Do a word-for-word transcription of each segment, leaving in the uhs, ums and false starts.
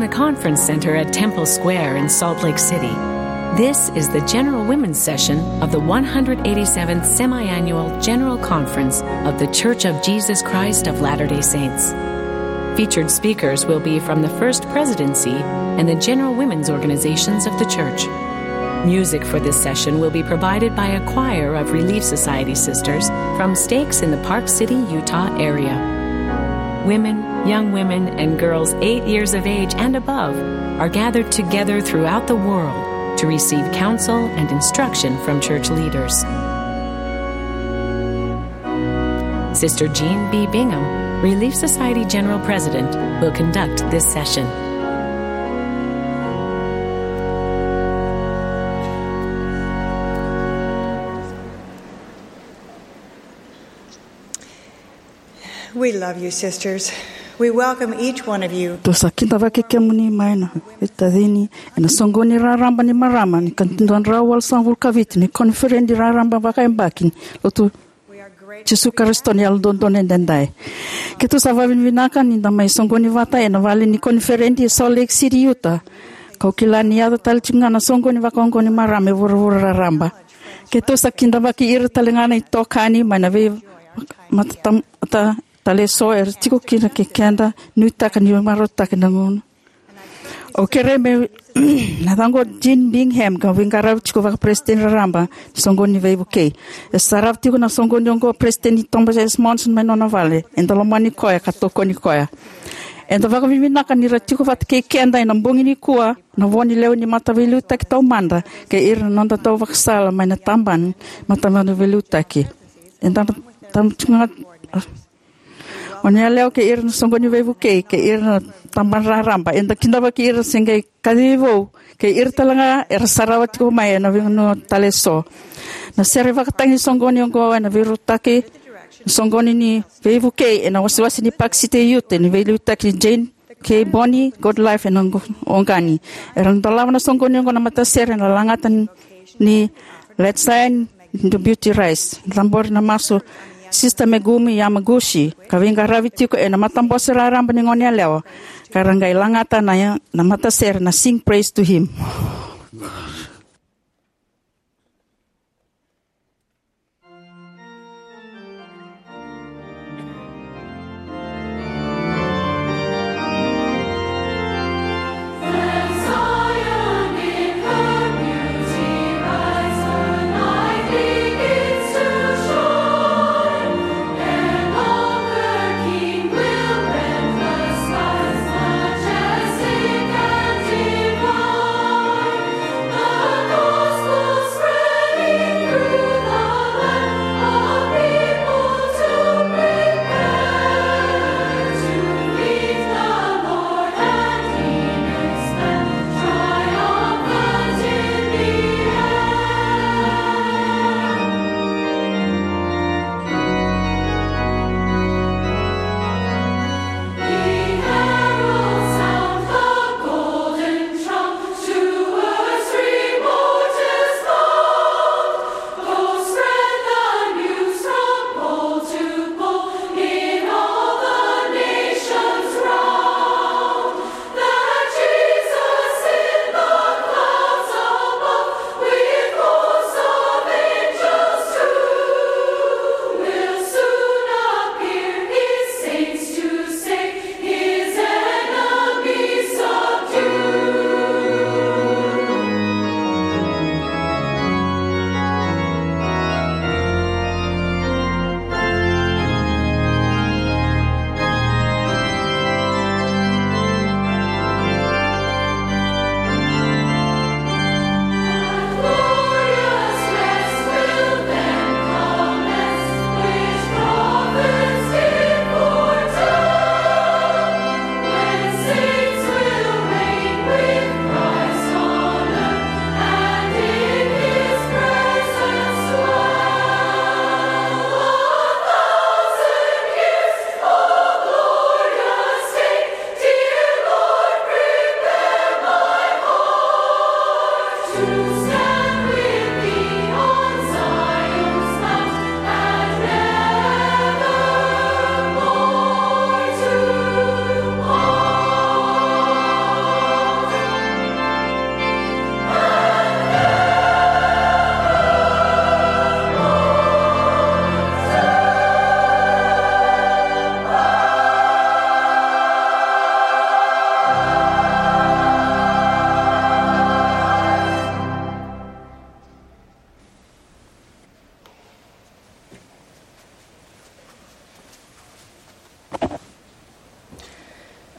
The Conference Center at Temple Square in Salt Lake City. This is the General Women's Session of the one hundred eighty-seventh Semi-Annual General Conference of The Church of Jesus Christ of Latter-day Saints. Featured speakers will be from the First Presidency and the General Women's Organizations of the Church. Music for this session will be provided by a choir of Relief Society sisters from stakes in the Park City, Utah area. Women, young women, and girls eight years of age and above are gathered together throughout the world to receive counsel and instruction from church leaders. Sister Jean B. Bingham, Relief Society General President, will conduct this session. We love you, sisters. We welcome each one of you. Tou sa kidavaki kemuni mai na veitacini ena soqoni raraba ni marama ni ka dua na drau walusagavulu ka vitu ni koniferedi raraba vakayabaki ni Lotu Jisu Karisito ni Yalododonu Edaidai. Keitou sa vakavinavinaka ni da mai soqoni vata ena vale ni koniferedi e Salt Lake City, Utah. Kau kila ni yaco tale tiko ga na soqoni vakaoqo ni marama e vuravura raraba. Keitou sa kidavaki ira tale ga na itokani mai na vei matatamata tale eso era tiko kina kei keda, nuitaka ni marautaka na gauna. Au kerei me na yacaqu o Jean Bingham, ka veiqaravi tiko vakaperesitedi raraba ni soqoni ni veivukei. E sarava tiko na soqoni oqo o Peresitedi Thomas S. Monson mai nona vale. Eda lomani koya ka tokoni koya. Eda vakavinavinaka ni ra tiko vata kei keda ena bogi nikua na vo ni lewe ni mataveiliutaki taumada kei ira na noda tauvakasala mai na tabana mataveiliutaki. Eda tamu tiko ga o ni yalewa kei ira na soqoni veivukei kei ira na tabana raraba. Eda kidavaki ira se qai kacivi vou kei ira tale ga era sarava tiko mai ena veigauna tale eso. Na sere vakatagi ni soqoni oqo ena veirautaki na soqoni ni veivukei ena wasewase ni Park City, Utah, ni veiliutaki ni Jane K. Bonnie, God Life ena Oqo-, Oqani. Era na dolava na soqoni oqo na matasere ena lagata ni Let's Shine the Beauty Rise. Cabori na masu Sister Megumi Yamaguchi, ka veiqaravi tiko ena matabose raraba ni goneyalewa, ka ra qai lagata na, na matasere na Sing Praise to Him.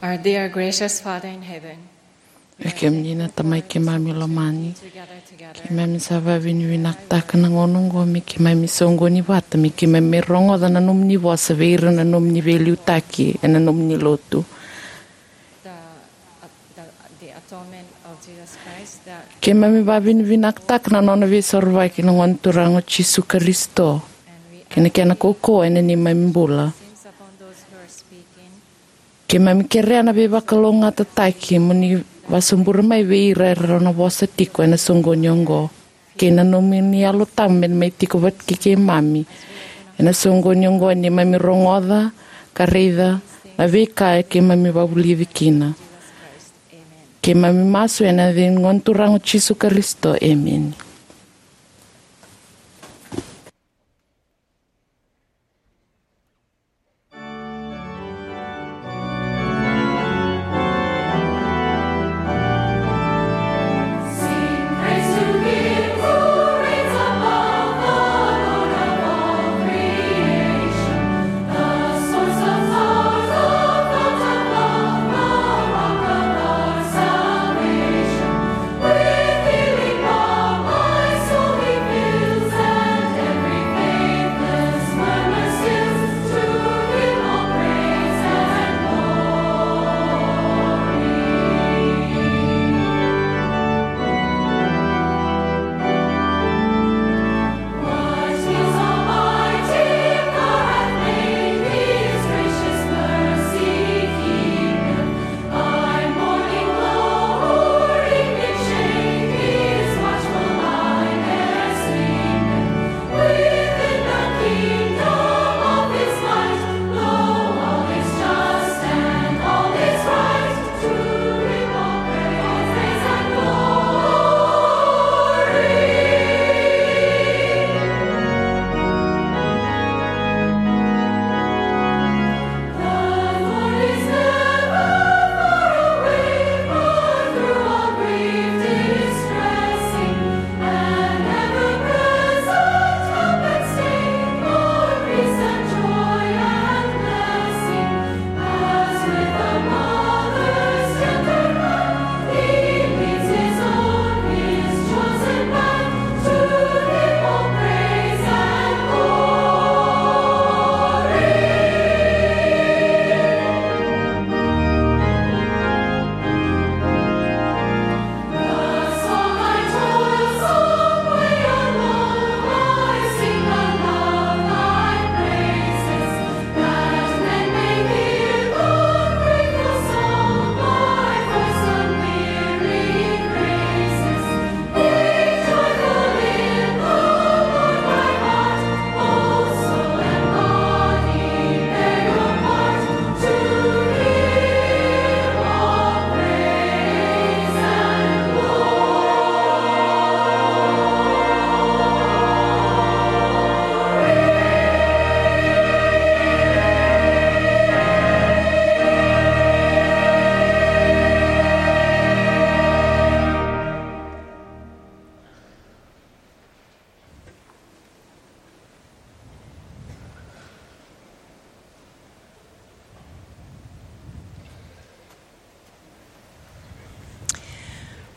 Our dear gracious Father in heaven, vei kemuni na Tamai keimami lomani, keimami sa vavinavinakataka na gauna oqo me keimami soqoni vata, me keimami rogoca na nomuni vosa vei ira na nomuni veiliutaki ena nomuni lotu. The, uh, the, the atonement of Jesus Christ that Keimami vavinavinakataka na nona veisorovaki na Gone Turaga o Jisu Karisito, and we kei na kena kaukauwa ena neimami bula. Sins upon those who are speaking. Keimami kerea na veivakalougatataki mo ni vasobura mai vei ira era na vosa tiko ena soqoni oqo, kei na nomuni Yalo Tabu me mai tiko vata kei keimami ena soqoni oqo, neimami rogoca ka raica na veika keimami vavulici kina. Keimami masu ena yaca ni Gone Turaga o Jisu Karisito, emeni.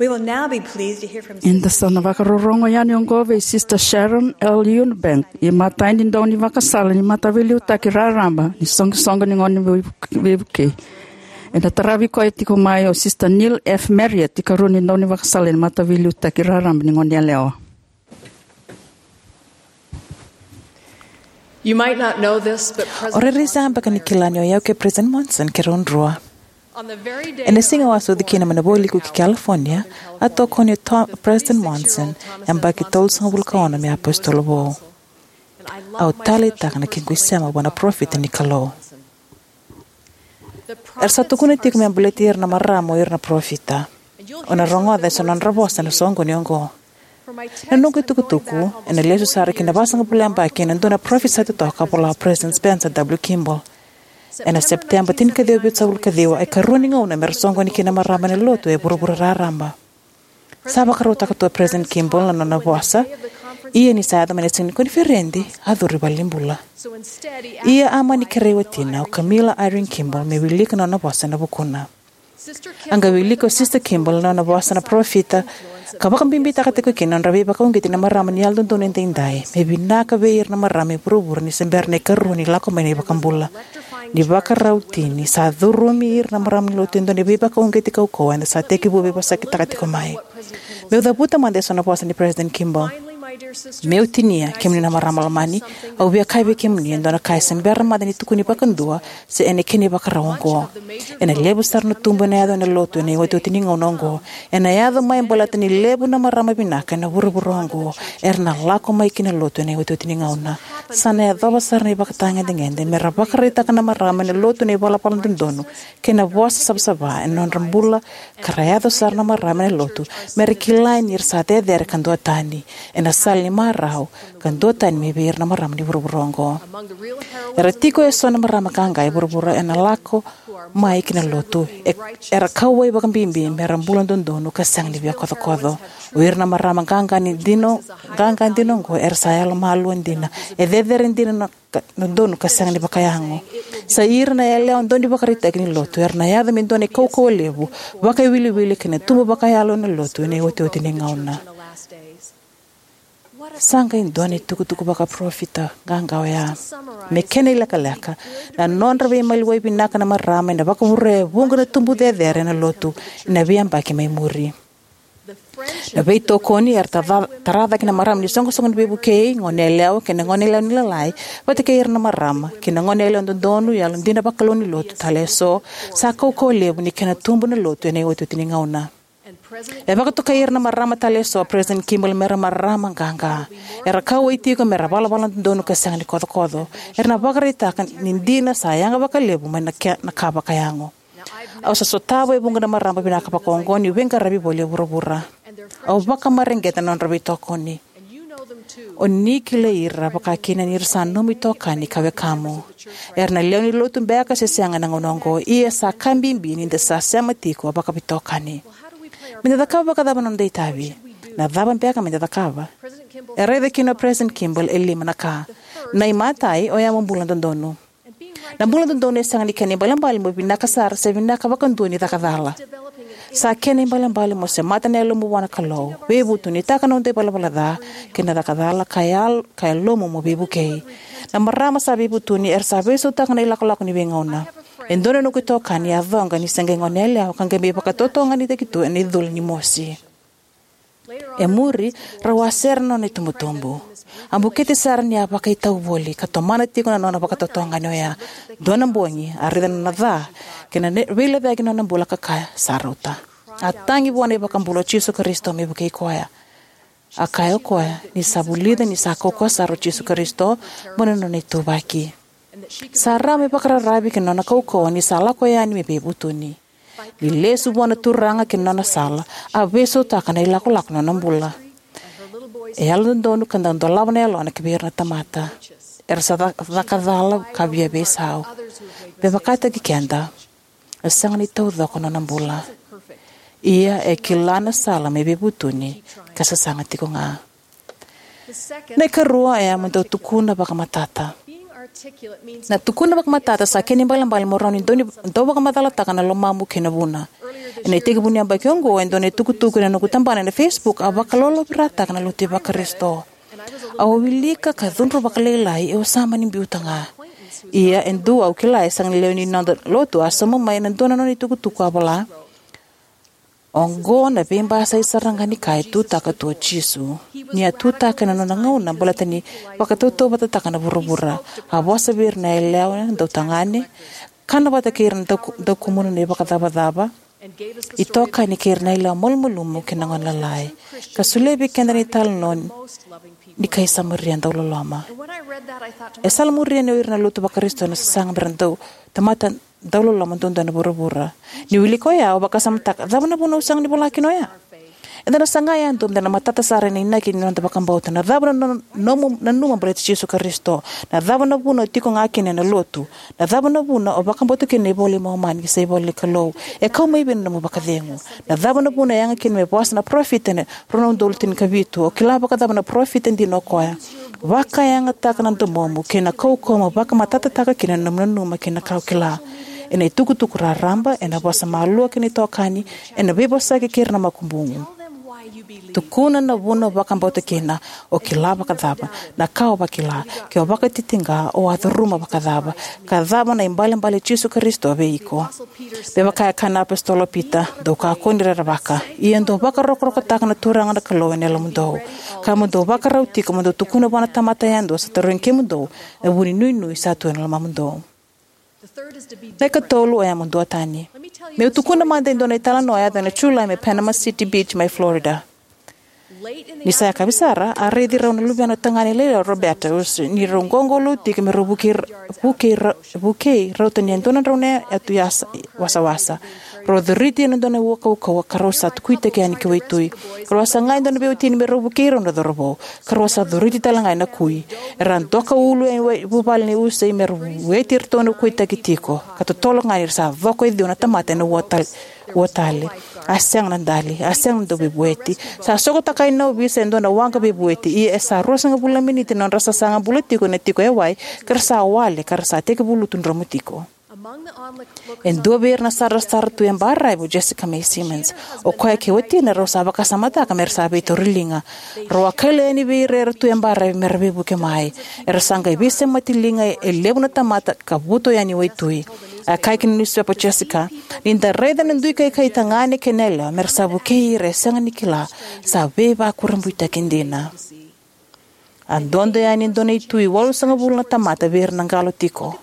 We will now be pleased to hear from Eda sa na vakarorogo yani oqo vei Sister Sharon L. Eubank, imatai ni daunivakasala ni Mataveiliutaki Raraba ni Soqosoqo ni Gone Vei-, Veivukei. Ena taravi koya tiko mai o Sister Neil F. Marriott, ikarua ni daunivakasala ni Mataveiliutaki Raraba ni Goneyalewa. You might not know this, but O rairai sega beka ni kila ni o yau kei President Monson keirau drua. On the very day Ena siga au a sucu kina mai na Vualiku ki California, a tokoni o To-, President Monson, yabaki tolusagavulu ka ono me apositolo vou. Au taleitaka na kequ isema vua na parofita ni Kalou. Era sa tukuna tiko me baleti ira na marama o ira na parofita. O na rogoca eso na nodra vosa ena soqoni oqo. Na noqu itukutuku, ena lesu sara ki na vasagavulu na yabaki ena dua na parofita sa totoka, a vola o President Spencer W. Kimball. Ena Sepiteba tinikaciwa vitusagavulu kaciwa, e karua ni gauna mera soqoni kina na marama ena lotu e vuravura raraba. Sa vakarautaka tu o President Kimball na nona vosa Ia ni sa yaco mai na siga ni koniferedi, a curu i valenibula. Ia a mani kerei watina, o Camilla Eyring Kimball, me wilika na nona vosa ena vukuna. A qai wilika o Sister Kimball na nona vosa na parofita, ka vakabibitaka tiko kina na nodra veivakauqeti na marama ni Yalododonu Edaidai me vinaka vei ira na marama e vuravura ni se bera na ikarua ni lako mai na iVakabula. Ni vakarau tini, sa curumi ira na marama ni Lotu e dua na veivakauqeti kaukauwa eda sa tekivu veivosakitaka tiko mai. Meu cavuta mada eso na vosa nei President Kimball. Meu tinia, kemuni na marama lomani, au via kaya vei kemuni e dua na ka e se bera mada ni tukuni vakadua, se ena kena ivakarau oqo. Ena levu sara na tubu ena yaco ena Lotu ena iotioti ni gauna oqo. Ena yaco mai baleta ni levu na marama vinaka ena vuravura oqo era na lako mai ki na Lotu ena iotioti ni gauna. Sa na yacova sara na ivakatagedegede me ra vakaraitaka na marama ena Lotu na ivalavala dodonu kei na vosa savasava ena nodra bula, ka ra yaco sara na marama ena Lotu me ra kila ni ra sa cecere ka duatani ena sala ni marau, ka duatani mai vei ira na marama ni vuravura oqo. Era tiko eso na marama qaqa e vuravura ena lako mai ki na Lotu, e, era kauwai vakabibi me ra bula dodonu ka sega ni via kocokoco. O ira na marama qaqa ni dina, qaqa dina oqo era sa yalomalua dina, e cecere dina na ka, na donu ka sega ni vakayago. Sa ira na yalewa dau ni vakaraitaki ni Lotu era na yaco me dua na kaukauwa levu, vakaiwiliwili kei na tubu vakayalo ena Lotu ena iotioti ni gauna. Sa qai dua na itukutuku vakaparofita qaqa oya. Me kena ilekaleka, na nodra veimaliwai vinaka na marama ena vakavurea e vuqa na tubu cecere ena Lotu ena veiyabaki mai muri. Na veitokoni era tara, tara cake na marama ni soqosoqo ni veivukei, goneyalewa kei na goneyalewa ni lalai, vata kei ira na marama kei na goneyalewa dodonu, yalodina vakalou ni Lotu tale eso, sa kaukauwa levu ni kena tubu na Lotu ena iotioti ni gauna. E vakatokai ira na marama tale eso o President Kimball me ra marama qaqa. Era kauwai tiko me ra valavala dodonu ka sega ni kocokoco. Era na vakaraitaka ni dina sa yaga vakalevu mai na ke, na ka vakayago. Au sa sotava e vuqa na marama vinaka vakaoqo niu veiqaravi voli e vuravura. Au vakamareqeta na nodra veitokoni. O ni kilai ira vakakina ni ra sa nomu itokani ka wekamu. Era na lewe ni Lotu beka se sega ena gauna oqo, ia sa ka bibi ni da sa sema tiko vakaveitokani. Me da cakava vakacava na noda itavi? Na cava beka me da cakava? E raica kina o President Kimball e lima na ka. Na imatai, oya mo bula dodonu. Na bula dodonu e sega ni kena ibalebale mo vinaka sara se vinaka vakadua ni caka cala. Sa kena ibalebale mo semata na yalomu vua na Kalou, veivutunitaka na noda ivalavala ca kei na caka cala ka yal, ka yalomu mo veivukei. Na marama sa veivutuni era sa veisautaka na ilakolako ni veigauna. E dua na noqu itokani a coqa ni se qai goneyalewa ka qai mai vakatotogani taki tu ena icula ni mosi. E muri, rau a sere na nona itubutubu. A bukete sara ni a vakaitau voli ka tomana tiko na nona vakatotogani oya. Dua na bogi, a raica na nona ca kei na ne, veilecayaki na nona bula ka kaya, sa rauta. A tagi vua na iVakabula o Jisu Karisito me vukei koya. A kaya o koya ni sa vulica ni sa kaukauwa sara o Jisu Karisito mo na nona ituvaki. Sa rawa me vakararavi ki na nona kaukauwa ni sa lako yani me veivutuni. Ni lesu vua na Turaga ki na nona sala, a veisautaka na ilakolako ni nona bula. E yalododonu ka dau dolava na yalona ki vei ira na tamata. Era sa ca, caka cala ka via veisau. Me vakataki keda, e sega ni taucoko na nona bula. Ia e kila na sala me veivutuni ka sasaga tiko ga. Na ikarua e a mo dau tukuna vakamatata. Na tukuna vakamatata sa kena ibalebale mo rawa ni dau ni, dau vakamacalataka na lomamu kei na vuna. Ena itekivu ni yabaki oqo, e dua na itukutuku ena noqu tabana ena Facebook a vakalolovirataka na lotu vaKarisito. Au a wilika ka cudru vakalailai, au sa mani biuta ga. Ia e dua au kila e sega ni lewe ni noda lotu a sauma mai ena dua na nona itukutuku a vola. Oqo na veibasai sara ga ni ka e tutaka tu o Jisu. Ni a tutaka ena nona gauna baleta ni vakatautauvatataka na vuravura. A vosa vei ira na yalewa dautagane, kana vata kei ira na dau, daukumuna na ivakacavacava, itokani kei ira na yalewa malumalumu kei na gone lalai. Ka solia vei keda na italanoa ni kai Samaria dauloloma. E salamuria ni o ira na lotu vaKarisito na sasaga me ra dau tamata dauloloma duadua na vuravura. Ni wilika oya, au vakasamataka, cava na vuna au sega ni vola kina oya? Eda na saga yadua meda na matata sara ena inaki ni noda vakabauta. Na cava na no-, nomu nanuma baleti Jisu Karisito? Na cava na vuna o tiko ga kina ena lotu? Na cava na vuna o vakabauta kina na iVola i Momani se ivola ni Kalou? E kau mai vei na nomu vakacegu? Na cava na vuna e yaga kina me vosa na parofita ena rua na udolu tinikavitu? O kila vakacava na parofita dina o koya? Vakayagataka na domomu kei na kaukauwa mo vakamatatataka kina na nomu nanuma kei na ka o kila. Ena itukutuku raraba, ena vosa malua kei na itokani, ena veivosaki kei ira na makubuqu. Tukuna na vuna o vakabauta kina, o kila vakacava, na ka o vakila, ke o vakatitiqa, o a curuma vakacava, ka cava na ibalebale i Jisu Karisito vei iko. Me vaka e kaya na apositolo o Pita, dou kakua ni rerevaka. Ia dou vakarokorokotaka na Turaga na Kalou ena yalomudou. Ka mo dou vakarau tiko mo dou tukuna vua na tamata yadua sa tarogi kemudou, na vu ni nuinui sa tu ena lomamudou. Na ikatolu oya mo duatani. Meu tukuna mada e dua na italanoa e yaco ena Julai mai Panama City Beach mai Florida. Ni sa yakavi sara, a raici rau na luvena tagane lailai o Roberta Usi ni rau qoqolou tiko me rau vukei, vukei, vukei rauta ni e dua na drau na yatu yasa, wasawasa. Rau a coriti ena dua na ua kaukauwa ka rau sa kuitaki yani ki waitui. Rau a saga e dua na veiwatini me rau vukei rau na cauravou, ka rau a sa coriti tale ga ena kui. Era a doka ulu e wai-, vuvale nei Usi me ra vueti iratou na kuitaki tiko, ka totolo ga ni ra sa coko e ciwa na tamata ena ua tal-, ua tale. A sega na dali, a sega na dauveivueti. Sa sokotaka na ovisa e dua na waqa veivueti, ia e sa ruasagavulu na miniti na nodra sasaga bula tiko ena tiko e wai, ka ra sa wale, ka ra sa tekivu lutu dromu tiko. E dua vei ira na sarasara tu e baravi o Jessica Mae Simmons. O koya kei watina rau sa vakasamataka me ra sa veitauriliga. Rau a kaila yani vei ira era tu e baravi me ra veivuke mai. Era sa qai veisemati liga e levu na tamata ka vuto yani waitui. A kaya ki na niusipepa o Jessica, ni da raica na dui kaikai tagane kei na yalewa me ra sa vukei ira e sega ni kila, sa veivakurabuitaki dina. A dodo yani e dua na itui walusagavulu na tamata vei ira na qalo tiko.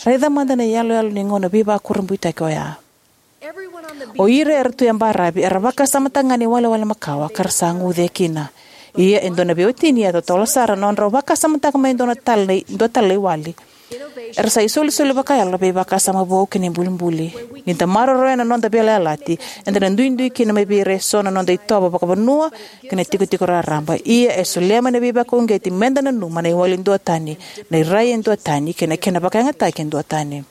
Raica mada na iyaloyalo ni gauna veivakurabuitaki oya. O ira era tu e baravi era vakasamataka ga na iwalewale makawa ka ra sa guce kina. Ia e dua na veiwatini a totolo sara na nodrau vakasamataka mai e dua na tale, dua tale na iwali. Era sa isolisoli vakayalo na veivakasama vou kei na ibulibuli. Ni da maroroya na noda veiyalayalati, eda na duidui kina mai vei ira eso na noda itovo vakavanua kei na tikotiko raraba. Ia e solia mai na veivakauqeti meda nanuma na iwali duatani, na irai e duatani, kei na kena vakayagataki e duatani.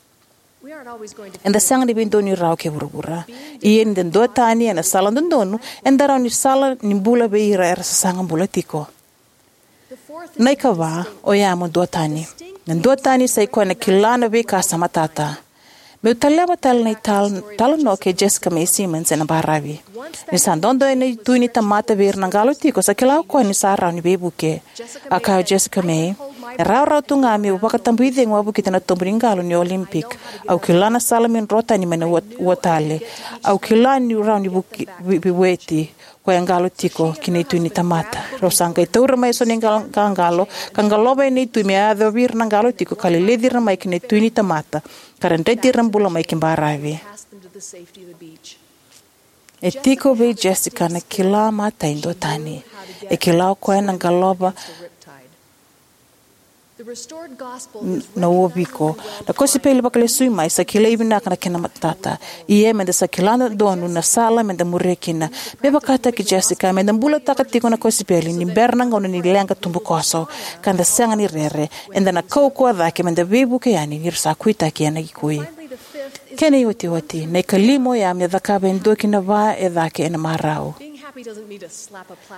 Eda sega ni veidonui rawa kei vuravura. Ia ni da duatani ena sala dodonu, eda rawa ni sala ni bula vei ira era sasaga bula tiko. Na ikava, oya mo duatani. Na duatani sa i koya na kila na veika sa matata. Meu taleva tale na ital-, talanoa kei Jessica Mae Simmons ena baravi. Ni sa dodo ena itui ni tamata vei ira na qalo tiko, sa kila o koya ni sa rawa ni veivuke. A kaya o Jessica Mae, e rawarawa tu ga meu vakatabuicegu wavokita na tobu ni qalo ni Olympic. Au kila na sala meu dro tani mai na ua, ua tale. Au kila niu rawa ni vuki-, vi-, veivueti. Koya e qalo tiko ki na itui ni tamata. Rau sa qai taura mai eso na iqalo, qaqalo, ka qalova ena itui me yacovi ira na qalo tiko ka leleci ira mai ki na itui ni tamata, ka ra dreti ira bula mai ki baravi. E tiko vei Jessica na kila matai duatani. E kila o koya na qalova n-, na uoviko. Na kosipeli vakalesui mai sa kilai vinaka na kena matata. Ia meda sa kila dodonu na sala meda muria kina. Me vakataki Jessica, meda bulataka tiko na kosipeli ni bera na gauna ni leqa tubukoso. Ka da sega ni rere, eda na kaukauwa cake meda veivuke yani ni ra sa kuitaki ena ikui. Kena iotioti, na ikalima oya me cakava e dua ki na va e cake ena marau.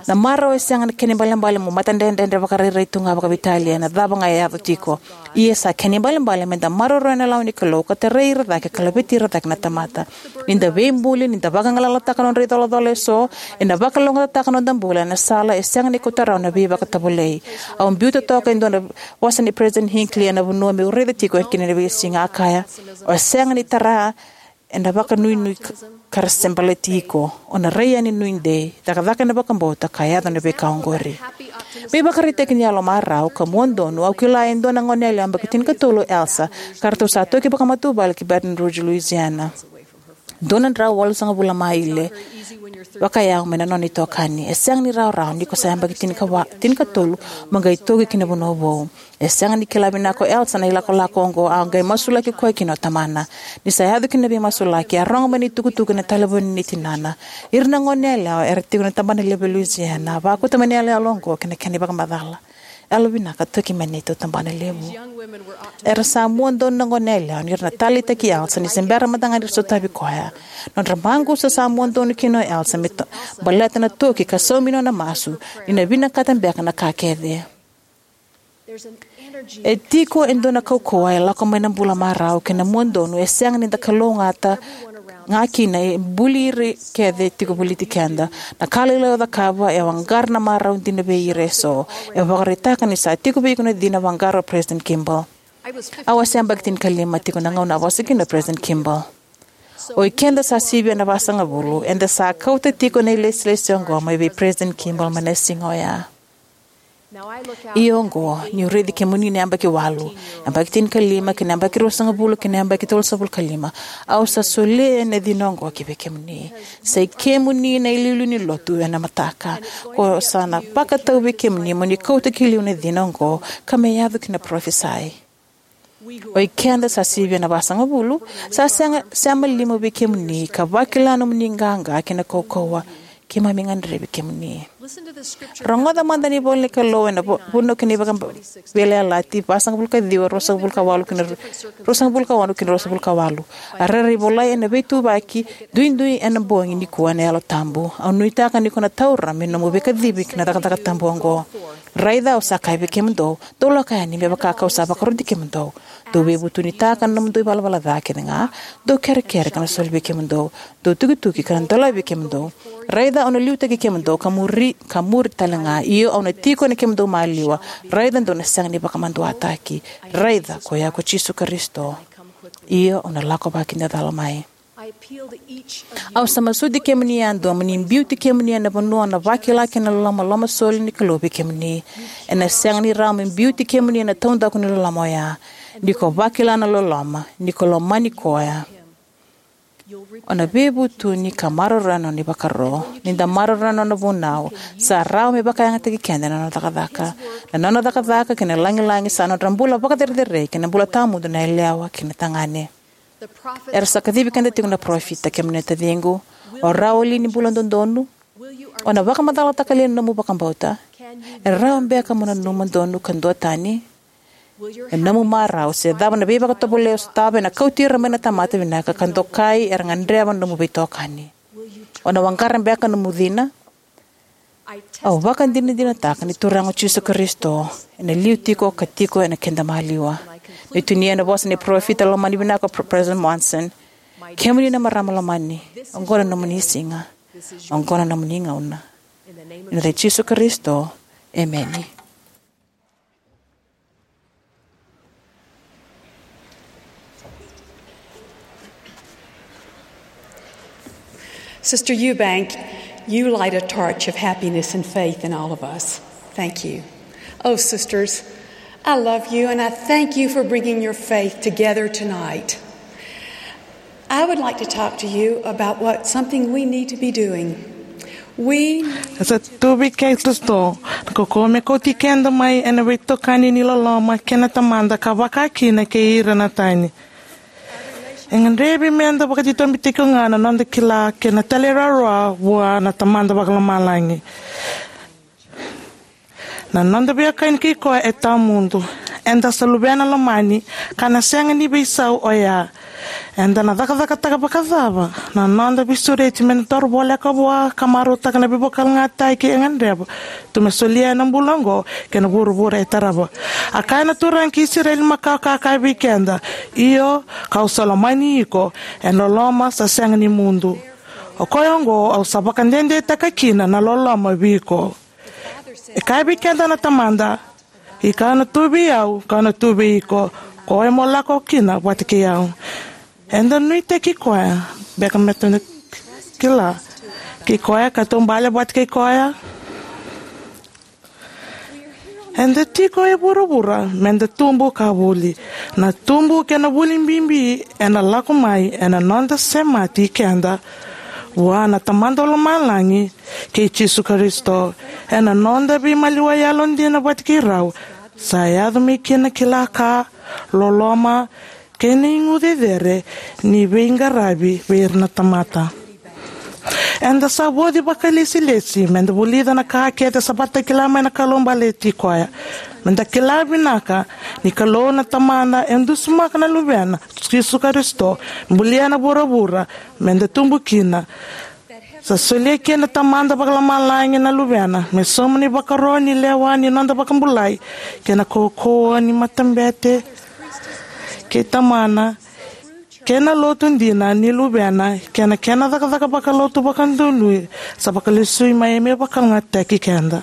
Na marau e sega na kena ibalebale mo matadredredre vakarairai tu ga vakaveitalia ena cava ga e yaco tiko. Ia sa kena ibalebale meda maroroya na lawa ni Kalou ka tarai ira cake ka laveti ira cake na tamata. Ni da veibuli, ni da vagalalataka nodra icolacola eso, ena vakalougatataka noda bula ena sala e sega ni kauta rawa na veivakatovolei. Au biuta toka e dua na vosa nei President Hinckley ena vanua meu raica tiko kina ena veisiga, a kaya, o sega ni tara ena vakanuinui ka-, ka ra se baleti iko. O na rai yani nuidei, cakacaka ena vakabauta ka yaco na veika oqori. Me ivakaraitaki ni yalo marau ka mua donu, au kila e dua na goneyalewa yabaki tinikatolu o Elsa, ka ratou sa toki vakamatavuvale ki Baton Rouge, Louisiana. Dua na drau walusagavulu na maile vakayawa mai na nona itokani. E sega ni rawarawa ni ko sa yabaki tinikawa-, tinikatolu mo qai toki ki na vanua vou. E sega ni kila vinaka o Elsa na ilakolako oqo, a qai masulaki koya kina o tamana. Ni sa yaco kina na veimasulaki, a rogo mai na itukutuku ena talevoni nei tinana. Ira na goneyalewa era tiko na tabana levu e Louisiana, a vakauta mai na iyaloyalo oqo kei na kena ivakamacala. Yalovinaka, toki mai na neitou tabana levu. Era sa mua donu na goneyalewa ni ra na taleitaki Elsa ni se bera mada ga ni ra sotavi koya. Nodra maqusa sa mua donu kina o Elsa me to-, baleta na toki ka saumi nona masu ni na vinakata beka na ka kece. E tiko e dua na kaukauwa e lako mai na bula marau kei na mua donu e sega ni da kalougata ga kina e buli ira kece tiko voliti keda. Na ka lailai o cakava e vaqara na marau dina vei ira eso. E vakaraitaka ni sa tiko vei iko na cina vaqara o President Kimball. Au a se yabaki tinikalima tiko na gauna a vosa kina o President Kimball. O ikeda sa sivia na vasagavulu, eda sa kauta tiko na ilesilesi oqo mai vei President Kimball mai na siga oya. Ia oqo, niu raici kemuni na yabaki walu, yabaki tinikalima, kei na yabaki ruasagavulu, kei na yabaki tolusagavulu ka lima, au sa solia na cina oqo ki vei kemuni. Sa i kemuni na iliuliu ni lotu ena mataka. Ko sa na vakatau vei kemuni mo ni kauta ki liu na cina oqo, ka me yaco ki na parofisai. O ikeda sa sivia na vasagavulu, sa sega, sema liu vei kemuni, ka vakila nomuni qaqa kei na kaukauwa, keimami gadrevi kemuni. Rogoca mada na ivola ni Kalou ena vo-, Vunau kei na iVakaveiyalayalati, vasagavulu ka ciwa, ruasagavulu ka walu kei na ru-, ruasagavulu ka ono kei na ruasagavulu ka walu. A rairai volai ena veituvaki duidui ena bogi nikua ena Yalo Tabu. Au nuitaka ni ko na taura me nomu veikacivi ki na cakacaka tabu oqo. Raica au sa kaya vei kemudou, dou lako yani me vaka kau sa vakaroti kemudou. Dou veivutunitaka na nomudou ivalavala ca kece ga, dou kerekere ka na soli vei kemudou, dou tukituki ka na dolavi vei kemudou. Raica au na liutaki kemudou ka muri, ka muri tale ga, io au na tiko ena kemudou maliwa. Raica dou na sega ni vakamaduataki. Raica, koya ko Jisu Karisito. Io au na lako vakidacala mai. Au sa masuti kemuni yadua mo ni biuti kemuni ena vanua na vakila kei na loloma lomasoli ni Kalou vei kemuni. Ena sega ni rawa me biuti kemuni ena taudaku ni loloma oya. Ni ko vakila na loloma, ni ko lomani koya, o na veivutuni ka maroroya na nona ivakaro. Ni da maroroya na nona vunau, sa rawa me vakayagataki keda na nona cakacaka. Na nona cakacaka kei na lagilagi sa nodra bula vakacerecerei kei na bula tawamudu na yalewa kei na tagane. Era sa kacivi keda tiko na parofita, kemuni na taciqu. O rawa li ni bula dodonu? O na vakamacalataka li na nomu vakabauta? E rawa beka mo nanuma donu ka duatani? E nomu marau se cava na veivakatovolei o sotava ena kauti ira mai na tamata vinaka ka dokai era gadreva na nomu veitokani. O na waqara beka nomu cina? Au vakadinadinataka ni Turaga o Jisu Karisito ena liu tiko ka tiko ena keda maliwa. Me tinia na vosa ni parofita lomani vinaka o Pre-, President Monson. Kemuni na marama lomani, oqo na nomuni siga, oqo na nomuni gauna. Ena yaca i Jisu Karisito, emeni. Sister Eubank, you light a torch of happiness and faith in all of us. Thank you. Oh, sisters, I love you and I thank you for bringing your faith together tonight. I would like to talk to you about what something we need to be doing. We E sa tu vei keda eso na kaukauwa me kauti keda mai ena veitokani ni loloma kei na Tamada ka vaka kina kei ira na tani. E gadrevi meda vakatitobu tiko ga na noda kila kei na talairawarawa vua na Tamada Vakalomalagi. Na noda veiwekani kei koya e tawamudu. Eda sa luvena lomani, ka na sega ni veisau oya. Eda na cakacakataka vakacava na noda veisureti me na toro voleka vua ka marautaka na veivakalougatataki e gadreva tu me solia ena bula oqo kei na vuravura e tarava. A kaya na Turaga ki Isireli makawa ka kaya vei keda, io, ka'u sa lomani iko ena loloma sa sega ni mudu. O koya oqo au sa vakadedetaka kina na loloma vei iko. E kaya vei keda na Tamada, ika na tu vei au, ka na tu vei iko, koya mo lako kina vata kei au. Eda nuitaki koya beka me tou kila kei koya ka taubale vata kei koya. Eda tiko e vuravura meda tubu ka vuli. Na tubu kei na vuli bibi ena lako mai ena noda semati keda vua na Tamada Lomalagi kei Jisu Karisito. Ena noda veimaliwai yalodina vata kei rau, sa yaco mai kina kila ka, loloma, kei na igu cecere ni veiqaravi vei ira na tamata. Eda sa voci vakalesilesi meda vulica na ka kece sa vakatakila mai na Kalou baleti koya. Meda kila vinaka ni Kalou na Tamada e dusimaka na Luvena, Jisu Karisito, bulia na vuravura meda tubu kina. Sa solia kina na Tamada Vakalomalagi na Luvena me sauma na ivakaro ni lewa ni noda vakabulai kei na kaukauwa ni matabete kei Tamana, kei na lotu dina ni Luvena, kei na kena cakacaka vakalotu vakadonui sa vakalesui mai me vakalougatataki keda.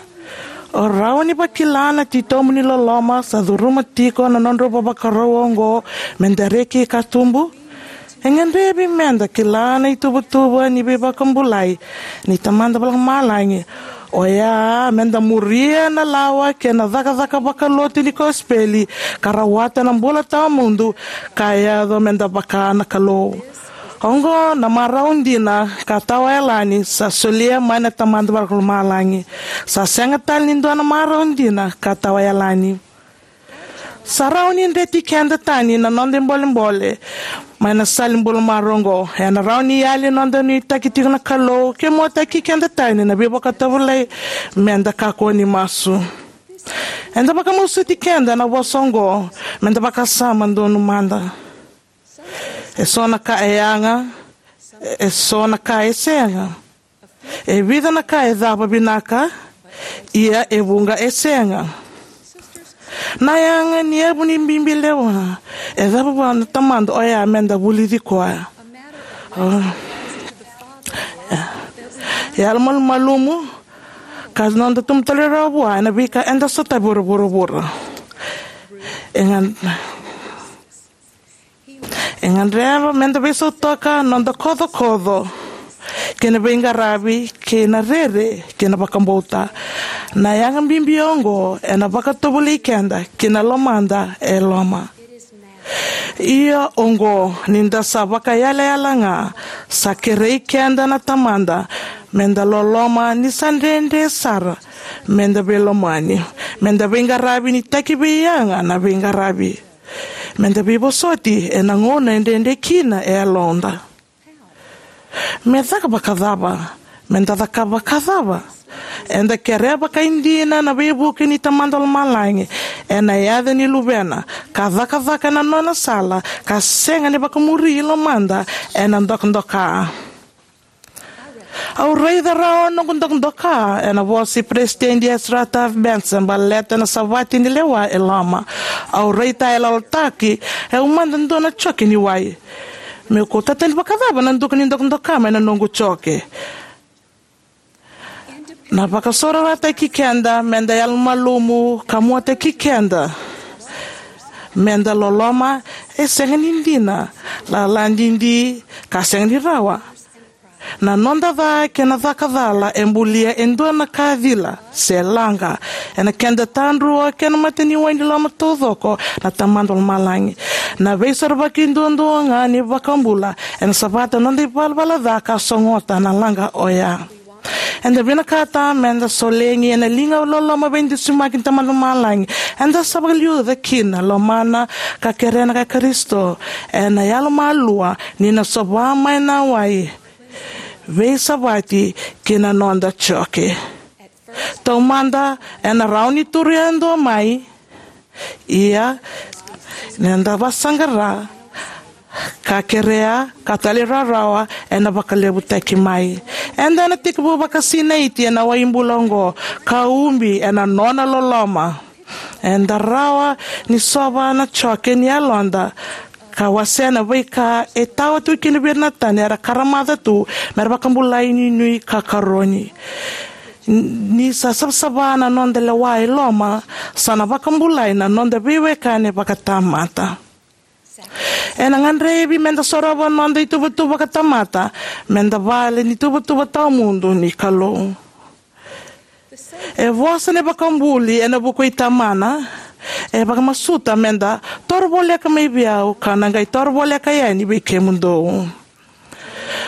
O rawa ni vakila na titobu ni loloma sa curuma tiko na nodrau vavakarau oqo meda reki ka tubu? E gadrevi meda kila na ituvatuva ni veivakabulai ni Tamada Vakalomalagi, oya meda muria na lawa kei na cakacaka vakalotu ni kosipeli ka rawata na bula tawamudu ka yaco meda vaka na Kalou. Oqo na marau dina ka tawayalani sa solia mai na Tamada Vakalomalagi. Sa sega tale ni dua na marau dina ka tawayalani. Sa rawa ni dreti keda tani na noda ibolebole mai na sala ni bula marau oqo. Ena rawa ni yali noda nuitaki tiko na Kalou ke muataki keda tani na veivakatovolei meda kakua ni masu. Eda vakamasuti keda na vosa oqo meda vakasama donu mada. E so na ka e yaga, e so na ka e sega. E vica na ka e cava vinaka, ia e vuqa e sega. Na yaga ni yavu ni bibi lewa e cava vua na Tamada oya meda vulici koya? O, yalomalumalumu ka noda tubu tale rawa vua ena veika eda sotavi vakavuravura. E ga E gadreva meda veisautaka noda kocokoco kei na veiqaravi kei na rere kei na vakabauta. Na yaga bibi oqo ena vakatovolei keda ki na lomada e loma. Ia oqo, ni da sa vakayalayala ga, sa kerei keda na Tamada meda loloma ni sa dredre sara meda veilomani, meda veiqaravi ni taki vei yaga na veiqaravi. Meda veivosoti ena gauna e dredre kina e yaloda. Me caka vakacava? Meda cakava vakacava? Eda kerea vakaidina na veivuke ni Tamada Lomalagi ena yaca ni Luvena, ka cakacaka ena nona sala, ka sega ni vakamuri lomada ena dokadoka. Au raica rawa noqu dokadoka ena vosa i Peresitedi Ezra Taft Benson baleta na savati ni lewa e loma. Au raitayaloyalotaki, au mada dua na joke ni wai. Meu kauta tani vakacava na duka ni dokadoka mai na noqu joke? Na vakasaurarataki keda meda yalomalumalumu ka muataki keda meda loloma e sega ni dina, lala didi, ka sega ni rawa. Na noda ca kei na caka cala e bulia e dua na ka cila se laqa ena keda tadrua kei na mataniwai ni loma taucoko na Tamada Lomalagi. Na veisorovaki duadua ga ni iVakabula ena savata na noda ivalavala ca ka sogota na laqa oya. Eda vinakata meda solegi ena liga loloma veidusimaki ni Tamada Lomalagi. Eda sa vakaliuca kina lomana ka kerea na kai Karisito ena yalomalua, ni na sova mai na wai, veisavati ki na noda joke. Taumada ena rawa ni turu yadua mai, ia ni da vakasaqara ka kerea ka talairawarawa, ena vakalevutaki mai. Eda na tekivu vakasinaiti ena wai bula oqo ka ubi ena nona loloma. Eda rawa ni sova na joke ni yaloda ka wasea na veika e tawa tu kina vei ira na tani era karamaca tu mera vakabulai nuinui ka karoni. Ni sa savasava na noda lewa e loma, sa na vakabulai na noda veiwekani vakatamata. Ena gadrevi meda sorova noda ituvatuva vakatamata meda vale ni tuvatuva tawamudu ni Kalou. E vosa na iVakabuli ena vuku i Tamana, e vakamasuta meda toro voleka mai vei au, ka na qai toro voleka yani vei kemudou.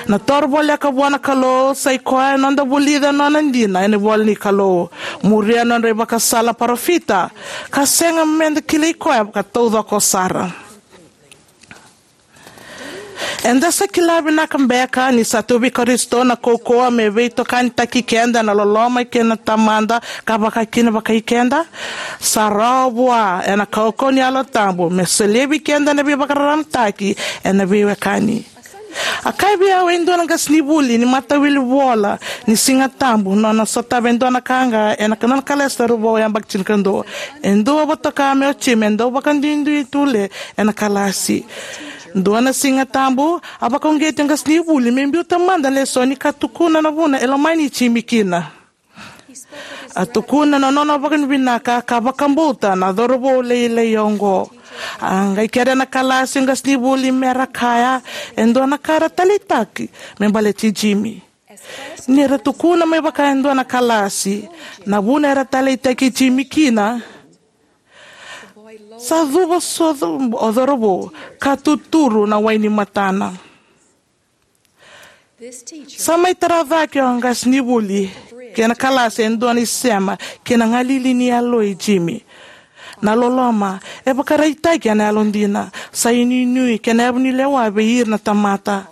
Na toro voleka vua na Kalou sa i koya na noda vulica na nona dina ena ivola ni Kalou, muria na nodra ivakasala na parofita, ka sega meda kilai koya vakataucoko sara. Eda sa kila vinaka beka ni sa tu vei Karisito na kaukauwa me veitokanitaki keda na loloma kei na Tamada ka vaka kina vakai keda? Sa rawa vua ena kaukauwa ni Yalo Tabu me solia vei keda na veivakararamataki ena veiwekani. A kaya vei au e dua na qasenivuli ni matawilivola ni Siga Tabu, nona sotava e dua na ka ga ena nona kalasi taurivou yabaki tinikadua. E dua vata toka me o Jim, e dau vakaduidui tu le ena kalasi. Dua na Siga Tabu, a vakauqeti na qasenivuli me biuta mada na lesoni ka tukuna na vuna e lomani Jimmy kina. A tukuna na nona vakavinavinaka ka vakabauta na cauravou lailai oqo. A qai kerea na kalasi qasenivuli me ra kaya e dua na ka era taleitaki me baleti Jimmy. Ni ra tukuna mai vaka e dua na kalasi na vuna era taleitaki Jimmy kina, sa cuva sobu o cauravou ka tuturu na wai ni matana. Sa mai tara cake o qasenivuli kei na kalasi e dua na isema kei na galili ni yalo i Jimmy. Na loloma e vakaraitaki ena yalodina, sa inuinui kei na yavu ni lewa vei ira na tamata.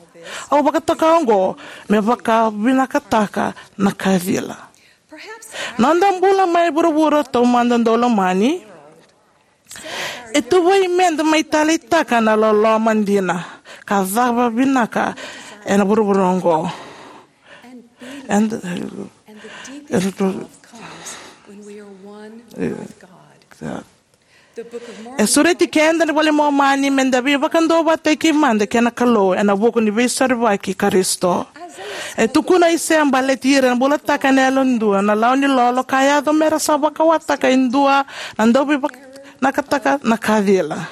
Au vakatoka oqo me vakavinakataka na ka cila. Noda bula mai vuravura taumada daulomani e tuvai meda mai taleitaka na loloma dina ka cava vinaka ena vuravura oqo. And, and the, e sureti keda na iVola i Momani meda veivakaduavatataki mada kei na Kalou ena vuku ni Veisorovaki i Karisito. E tukuna o Aisea baleti ira na bulataka ena yalodua na lawa ni lolo ka yaco me ra sa vakawataka e dua na dauveivinakataka na ka cila.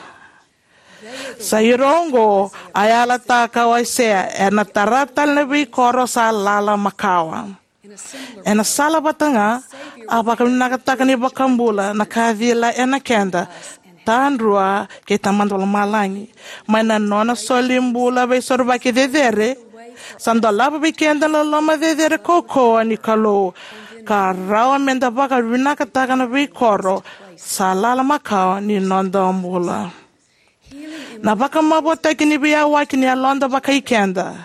Sa ira oqo a yalataka o Aisea, era na tara tale na veikoro sa lala makawa. Ena sala vata ga, a vakavinakataka na iVakabula na ka cila ena keda, tadrua kei Tamada Vakalomalagi. Mai na nona solibula veisorovaki cecere, sa dolava vei keda na loloma cecere kaukauwa ni Kalou, ka rawa meda vakavinakataka na veikoro sa lala makawa ni noda bula. Na vakamavoataki ni veiyawaki ni yaloda vakai keda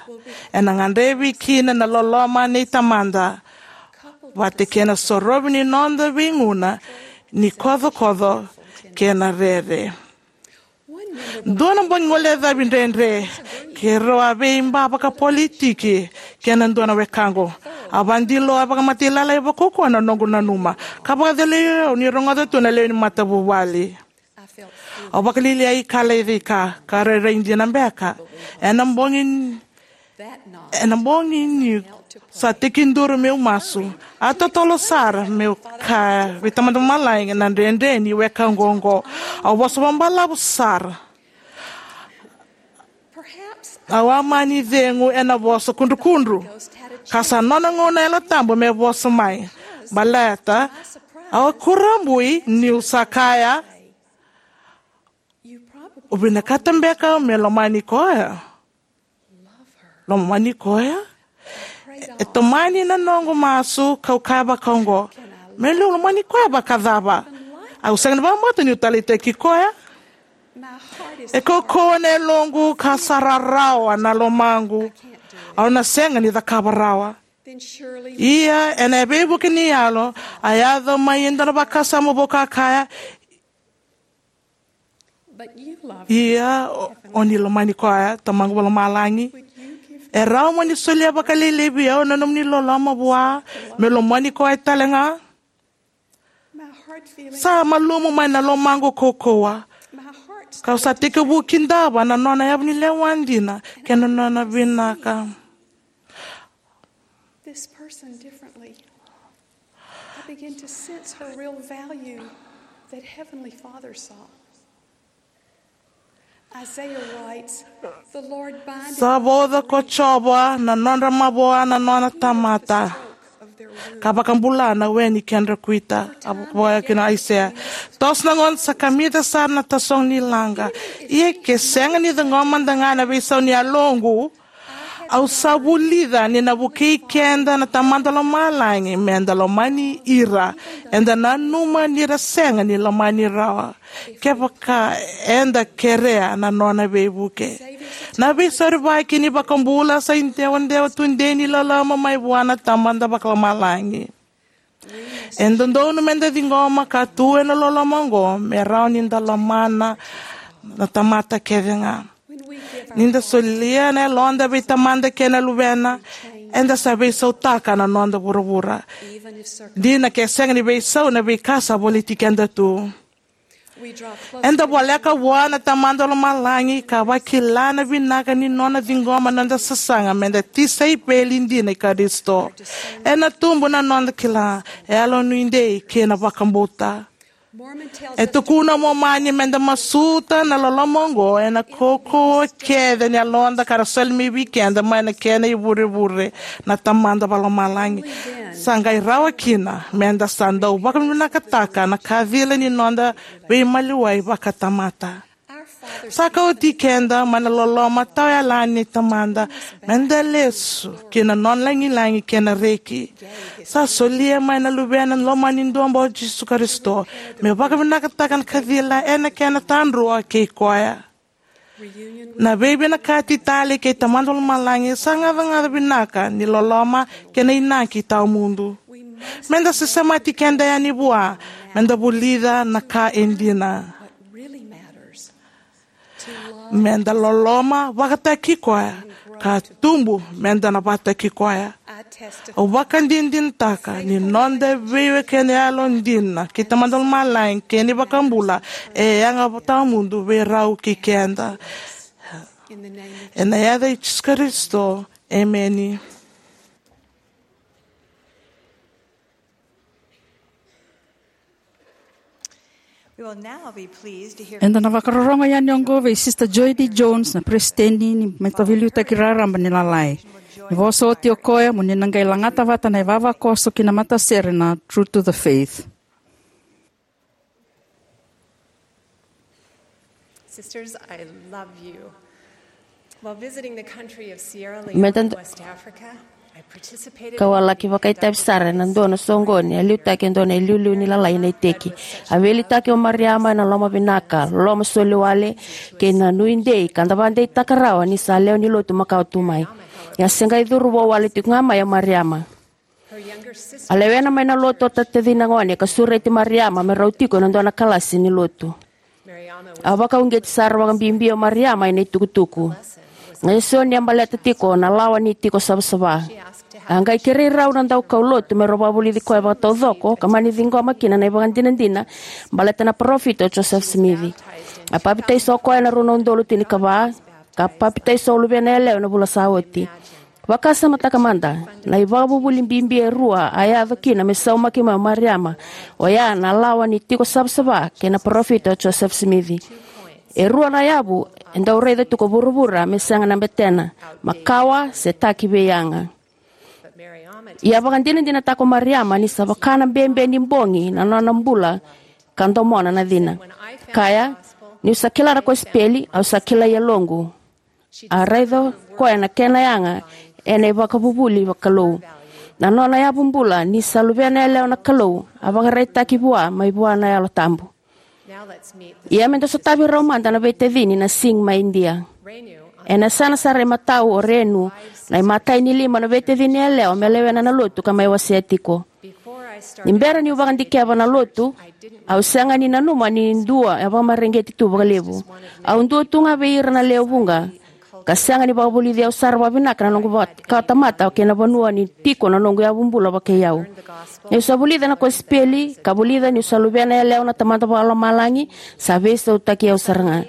ena gadrevi kina na loloma nei Tamada, vata kei na sorovi ni noda veiguna ni kocokoco kei na rere. Dua na bogi gole cavi dredre, keirau a veiba vakapolitiki kei na dua na wekaqu. A vakadilo, a vakamatailalai vakaukauwa na noqu nanuma, ka vakacalai au ni rogoca tu na lewe ni matavuvale. Au vakalialiai ka lai cika, ka rairai dina beka. Ena bogi, ena bogi niu sa tekiduru meu masu, a totolo sara meu kaya vei Tamada Vakalomalagi na dredre ni wekaqu oqo. Au vosa vakabalavu sara. Au a mani cegu ena vosa kudrukudru, ka sa nona gauna na Yalo Tabu me vosa mai. Baleta au a kurabui niu sa kaya, "O vinakata beka me lomani koya?" Lomani koya? E tomani na noqu masu kau kaya vakaoqo, "Me liu lomani koya vakacava? Au sega ni vakabauta niu taleitaki koya." E kaukauwa na yaloqu ka sa rarawa na lomaqu. Au na sega ni cakava rawa. Ia ena veivuke ni yalo, a yaco mai e dua na vakasama vou ka kaya, "Ia o, o ni lomani koya, Tamaqu Vakalomalagi? E rawa mo ni solia vakalailai vei au na nomuni loloma vua, me lomani koya tale ga?" Sa malumu mai na lomaqu kaukauwa, kau sa tekivu kidava na nona yavu ni lewa dina kei na nona vinaka. This person differently. I begin to sense her real value that Heavenly Father saw. Isaiah writes, "The Lord bindeth." Sa vauca ko Jiova na nodra mavoa na nona tamata. ka vakabula na we ni kedra kuita. A vakavakaya kina Aisea, toso na gauna sa kamita sara na tasogo ni laqa. Ia ke sega ni ciqoma mada ga na veisau ni yaloqu, au sa vulica ni na vukei keda na Tamada Lomalagi meda lomani ira eda nanuma ni ra sega ni lomani rawa, kevaka eda kerea na nona veivuke. Na veisorivaki ni vakabula sa idewadewa tudei ni loloma mai vua na Tamada Vakalomalagi. E dodonu meda ciqoma ka tu ena loloma oqo me rawa ni da lomana na tamata kece ga. Ni da solia na yaloda vei Tamada kei na Luvena, eda sa veisautaka na noda vuravura, dina ke sega ni veisau na veika sa voliti keda tu. Eda voleka vua na Tamada Lomalagi ka vakila na vinaka ni nona ciqoma na noda sasaga meda tisaipeli dina i Karisito. Ena tubu na noda kila, yalonuidei kei na vakabauta. E tukuna o Momani meda masuta na loloma oqo ena kaukauwa kece ni yaloda ka ra soli mai vei keda mai na kena ivurevure na Tamada Vakalomalagi. Sa qai rawa kina meda sa dau vakavinakataka na kacila ni noda veimaliwai vakatamata. Sa kauti keda mai na loloma tawayalani ni Tamada meda lesu ki na nona lagilagi kei na reki. Sa solia mai na Luvena lomani duabau, Jisu Karisito, me vakavinakataka na kacila ena kena tadrua kei koya. Na veivinakati tale kei Tamada Lomalagi sa gacagaca vinaka ni loloma kei na inaki tawamudu. Meda sesemati keda yani vua meda vulica na ka e dina. Meda loloma vakataki koya ka tubu meda na vakataki koya. Au vakadinadinataka ni noda veiwekani yalodina kei Tamada Lomalagi kei na iVakabula e yaga tawamudu vei rau kei keda. Ena yaca i Jisu Karisito, emeni. Eda na vakarorogo yani oqo vei Sister Joy D. Jones, na peresitedi ni Mataveiliutaki Raraba ni Lalai. Ni vosa oti o koya, mo ni na qai lagata vata na ivavakoso ki na matasere na True to the Faith. Sisters, I love you. While visiting the country of Sierra Leone, West Africa, I participated in a youth festival. Kau a laki vakaitavi sara ena dua na soqoni a liutaki e dua na iliuliu ni lalai ena iteki. A veiliutaki o Mariama ena loma vinaka, loloma soliwale, kei na nuidei ka da vakadeitaka rawa ni sa lewe ni lotu makawa tu mai. Ia a se qai curu vou wale tiko ga mai o Mariama. A lewena mai na lotu o tacina gone ka sureti Mariama me rau tiko ena dua na kalasi ni lotu. A vakauqeti sara vakabibi o Mariama ena itukutuku. Na lesoni a baleta tiko na lawa ni tiko savasava. A qai kerei rau na daukaulotu me rau vakavulici koya vakataucoko ka mani ciqoma kina na ivakadinadina baleta na parofita o Joseph Smith. A papitaiso o koya ena rua na udolu tinikava, ka papitaiso o luvena yalewa ena vula sa oti. Vakasamataka mada, na ivakavuvuli bibi e rua a yaco kina me saumaki mai o Mariama, oya na lawa ni tiko savasava kei na parofita o Joseph Smith. E rua na yavu e dau raica tu ko vuravura me sega na betena, makawa se taki veiyaga. Ia vakadinadinataka o Mariama ni sa vaka na bebe ni bogi na nona bula ka domona na cina. Kaya, niu sa kila na kosipeli, au sa kilai yaloqu. A raica o koya na kena yaga ena ivakavuvuli vakalou. Na nona yavu bula ni sa luvena yalewa na Kalou a vakaraitaki vua mai vua na Yalo Tabu. Ia me da sotavi rau mada na veitacini na Singh mai Idia. Ena yasana sara imatau o Renu, na imatai ni lima na veitacini yalewa me lewena na lotu ka mai wasea tiko. Ni bera niu vakadikeva na lotu, au sega ni nanuma ni dua e vakamareqeti tu vakalevu. Au dua tu ga vei ira na lewe vuqa, ka sega ni vakavulici au sara vakavinaka na noqu vakatamata kei na vanua ni tiko na noqu yavu bula vakei au. Niu sa vulica na kosipeli ka vulica niu sa luvena yalewa na Tamada Vakalomalagi, sa veisautaki au sara ga.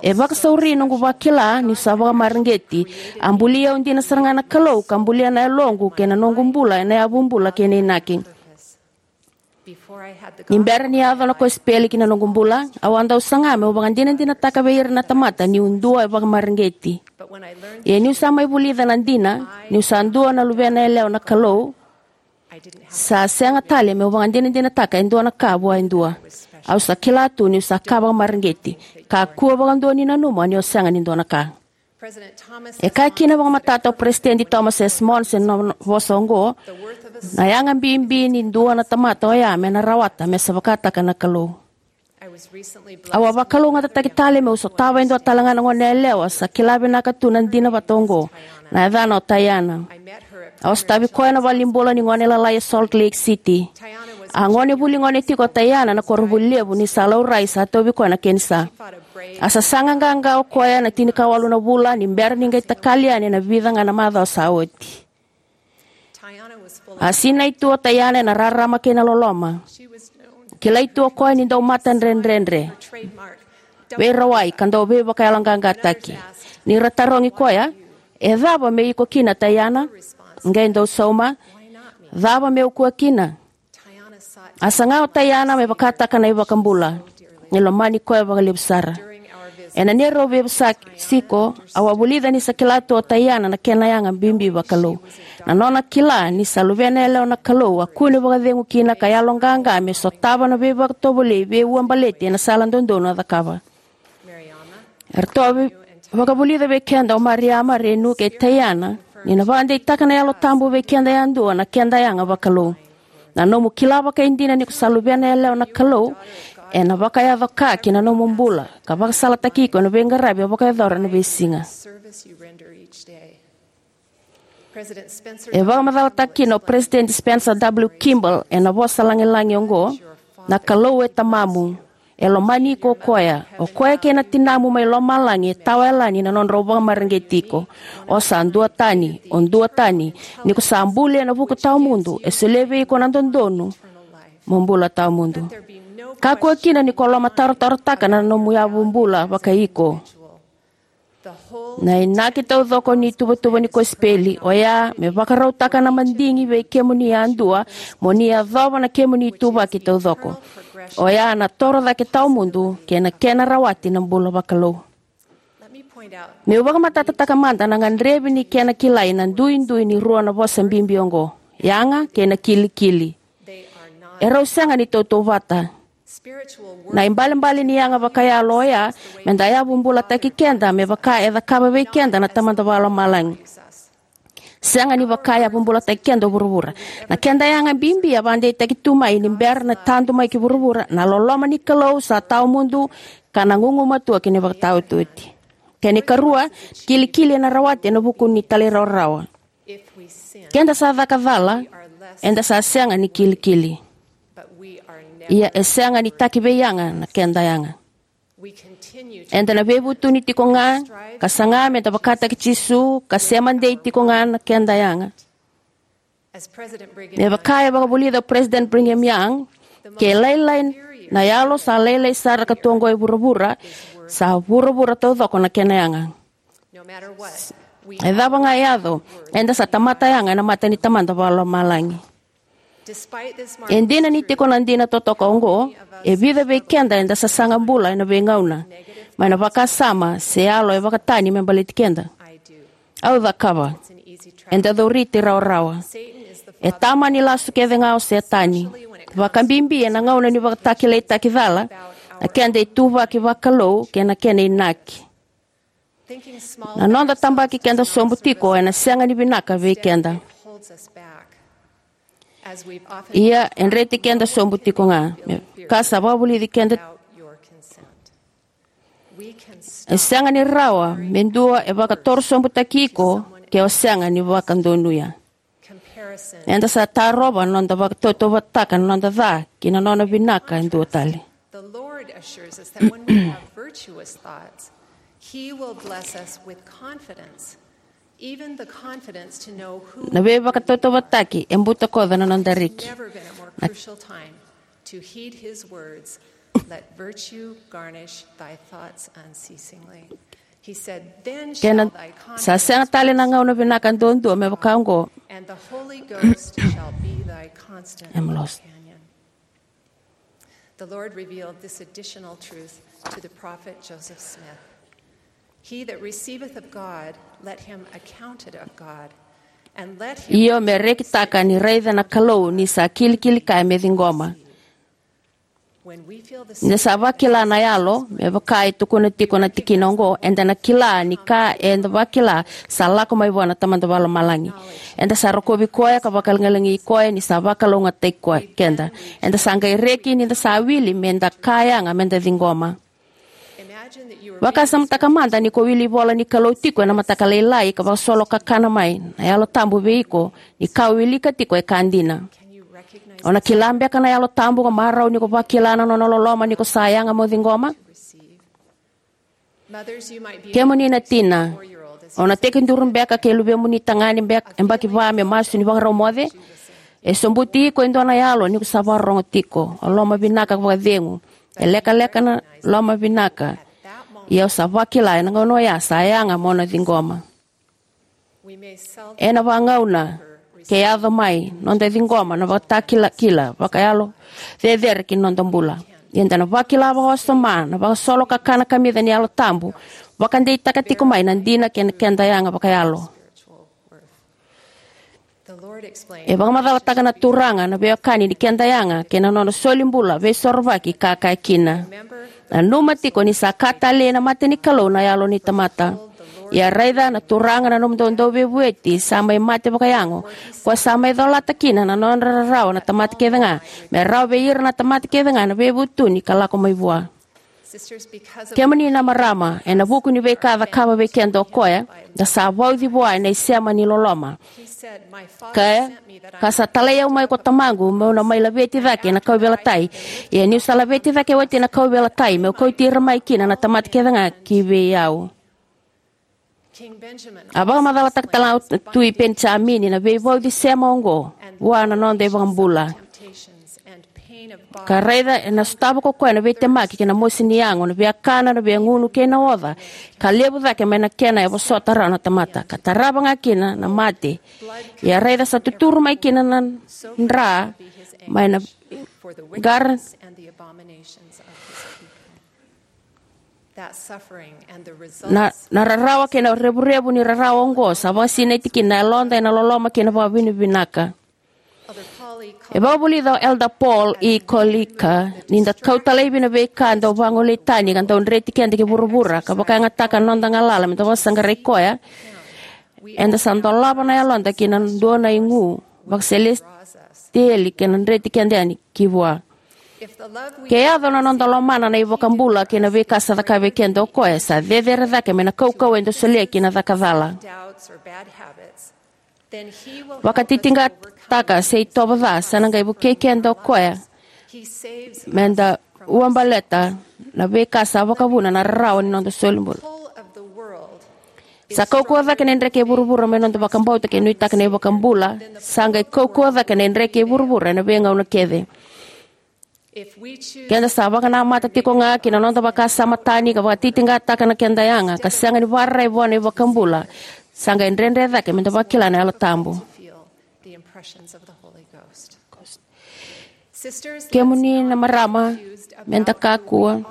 E vakasauri noqu vakila niu sa vakamareqeti. A buli au dina sara ga na Kalou ka bulia na yaloqu kei na noqu bula ena yavu bula kei na inaki. Ni bera ni yaco na kosipeli ki na noqu bula, au a dau saga meu vakadinadinataka vei ira na tamata niu dua e vakamareqeti. Ia niu sa mai vulica na dina niu sa dua na luvena yalewa na Kalou, Sa sega tale meu vakadinadinataka e dua na ka vua e dua. Au sa kila tu niu sa ka vakamareqeti. Kakua vakadua ni nanuma ni o sega ni dua na ka. E kaya kina vakamatata o Peresitedi Thomas S. Monson na vosa oqo, na yaga bibi ni dua na tamata oya me na rawata me sa vakataka na Kalou. Au a vakalougatataki tale meu sotava e dua tale ga na gone yalewa sa kila vinaka tu na dina vata oqo. Na yacana o Taiana. Au a sotavi koya na valenibula ni gone lalai e Salt Lake City. A gone vuli gone tiko o Taiana na koronivuli levu ni sa laurai sa tauvi koya na kenisa. A sasaga qaqa o koya na tinikawalu na vula ni bera ni qai takali yani ena vica ga na macawa sa oti. A sinai tu o Taiana ena rarama kei na loloma. Kilai tu o koya ni dau mata dredredre, veirawai ka dau veivakayaloqaqataki. Ni ra tarogi koya, e cava me iko kina Taiana? Qai dau sauma, cava meu kua kina? A saga o Taiana me vakataka na iVakabula. E lomani koya vakalevu sara. Ena neirau veivosaki tiko, au a vulica ni sa kila tu o Taiana na kena yaga bibi vakalou. Na nona kila ni sa luvena yalewa na Kalou a kune vakacegu kina ka yaloqaqa me sotava na veivakatovolei veiuabaleti ena sala dodonu a cakava. Eratou a vakavulica vei keda o Mariama, Renu kei Taiana ni na vakadeitaka na Yalo Tabu vei keda yadua na keda yaga vakalou. Na nomu kila vakaidina ni ko sa luvena yalewa na Kalou ena vakayaco ka ki na nomu bula ka vakasalataki iko ena veiqaravi o vakayacora ena veisiga. E vakamacalataka kina o Peresitedi Spencer W. Kimball ena vosa lagilagi oqo, na Kalou e tamamu. E lomani iko o koya. O koya kei na tinamu mai lomalagi e tawa yalani na nodrau vakamareqeti iko. O sa duatani, o duatani. Ni ko sa buli ena vuku tawamudu, e solia vei iko na dodonu mo bula tawamudu. Kakua kina ni ko lomatarotarotaka na nomu yavu bula vakai iko. Na inaki taucoko ni tuvatuva ni kosipeli oya me vakarautaka na madigi vei kemuni yadua mo ni yacova na kemuni ituvaki taucoko. Oya na toro cake tawamudu kei na kena rawati na bula vakalou. Meu vakamatatataka mada na gadrevi ni kena kilai na duidui ni rua na vosa bibi oqo, yaga kei na kilikili. Erau sega ni tautauvata. Na ibalebale ni yaga vakayalo oya me da yavubulataki keda me vaka e cakava vei keda na Tamada Vakalomalagi. Sega ni vaka e yavubulataki keda o vuravura. Na keda yaga bibi a vakadeitaki tu mai ni bera na tadu mai ki vuravura. Na loloma ni Kalou sa tawamudu ka na gugumatua ki na ivakataotioti. Kena ikarua, kilikili ena rawati ena vuku ni talairawarawa. Keda sa caka cala, eda sa sega ni kilikili. Ia e sega ni taki vei yaga na keda yaga. Eda na veivutuni tiko ga ka saga me da vakataki Jisu ka sema dei tiko ga na keda yaga. Me vaka e vakavulica o President Brigham Young, ke lailai na yalo sa lailai sara ka tu oqo e vuravura, sa vuravura taucoko na kena yaga. E cava ga e yaco, eda sa tamata yaga ena mata ni Tamada Vakalomalagi. E dina ni tiko na dina totoka oqo, e vica vei keda eda sasaga bula ena veigauna mai na vakasama se yalo e vakatani me baleti keda. Au cakava. Eda cauriti rawarawa. E tama ni lasu kece ga o Setani. Vakabibi ena gauna ni vakatakilaitaki cala, na keda ituvaki vakalou kei na kena inaki. Na noda tabaki keda sobu tiko ena sega ni vinaka vei keda. Ia e dreti keda sobu tiko ga me ka sa vakavulici keda. E sega ni rawa me dua e vakatorosobutaki iko ke o sega ni vakadonuya. Eda sa tarova na noda vakatautauvataka na noda ca ki na nona vinaka e dua tale. The Lord assures us that when we have virtuous thoughts, He will bless us with confidence, even the confidence to know who Na veivakatautauvataki e butakoca na noda reki. Never been a more crucial time to heed His words, "Let virtue garnish thy thoughts unceasingly." He said, "Then shall Kena thy sa sega confidence tale na gauna vinaka duadua me vaka oqo. And the Holy Ghost shall be thy constant Em lost. companion." The Lord revealed this additional truth to the prophet Joseph Smith. "He that receiveth of God, let him account it of God, Io, me rekitaka ni raica na Kalou ni sa kilikili kaya me ciqoma. Ni da sa vakila na yalo, me vaka e tukuna tiko na tikina oqo, eda na kila ni ka eda vakila sa lako mai vua na Tamada Vakalomalagi. Eda sa rokovi koya ka vakalagilagi koya ni sa vakalougatataki koya keda. Eda sa qai reki ni da sa wili me da ka yaga me da ciqoma. Vakasamataka mada ni ko wili ivola ni Kalou tiko ena mataka lailai ka vakasolo kakana mai, na Yalo Tabu vei iko, ni ka o wilika tiko e ka dina. O na kila beka na Yalo Tabu ka marau ni ko vakila na nona loloma ni ko sa yaga mo ciqoma? Kemuni na tina, o na tekiduru beka kei luvemuni tagane beka e baki va me masu ni vakarau moce. E sobuti iko e dua na yalo ni ko sa vakarorogo tiko. O loma vinaka ka vakacegu. E lekaleka na loma vinaka. Ia o sa vakila ena gauna oya sa yaga mo na ciqoma. Ena vagauna ke yaco mai noda ciqoma na vakatakilakila vakayalo cecere ki na noda bula. Ia eda na vakila vakawasoma na vakasolo kakana kamica ni Yalo Tabu vakadeitaka tiko mai na dina kei na keda yaga vakayalo. E vakamacalataka na Turaga na veiwekani ni keda yaga kei na nona solibula veisorovaki ka kaya kina: Nanuma tiko ni sa ka talei ena mata ni Kalou na yalo ni tamata. Ia raica, na Turaga na nomudou Dauveivueti sa mai mate vakayago, ko sa mai colata kina na nodra rarawa na tamata kece ga, me rawa vei ira na tamata kece ga na veivutuni ka lako mai vua. Kemuni na marama, ena vuku ni veika a cakava vei keda o koya, da sa vauci vua ena isema ni loloma. Kaya, ka sa talai au mai ko Tamaqu meu na mai laveti cake na kauveilatai. Ia niu sa laveti cake oti na kauveilatai, meu kauti ira mai kina na tamata kece ga ki vei au. A vakamacalataka tale ga o Tui Penijamini na veivauci sema oqo vua na noda iVakabula. Ka raica, ena sotava ko koya na veitemaki kei na mosi ni yago, na viakana, na viagunu kei na oca, ka levu cake mai na kena e vosota rawa na tamata, ka tarava ga kina na mate. Ia raica, sa tuturu mai kina na dra mai na qara. Na, na rarawa kei na revurevu ni rarawa oqo sa vakasinaiti kina na yaloda ena loloma kei na vakavinavinaka. E vakavulica o Elder Paul E. Koelliker, ni da kauta laivi na veika dau vagolei tani ka dau dreti keda ki vuravura ka vakayagataka na noda galala me da vakasaqarai koya, eda sa dolava na yaloda ki na dua na igu vakaselesitieli ka na dreti keda yani ki vua. Ke yaco na noda lomana na iVakabula kei na veika sa cakava vei keda o koya, sa cecere cake mai na kaukauwa eda solia ki na caka cala. Vakatitiqataka se itovo ca, sa na qai vukei keda o koya me da ua baleta na veika sa vakavuna na rarawa ni noda solibula. Sa kaukauwa cake na idreke e vuravura me noda vakabauta ke nuitaka na iVakabula, sa qai kaukauwa cake na idreke e vuravura ena veigauna kece. Keda sa vakanamata tiko ga ki na noda vakasama tani ka vakatitiqataka na keda yaga ka sega ni vararai vua na iVakabula, sa qai dredre cake me da vakila na Yalo Tabu. Kemuni na marama, me da kakua.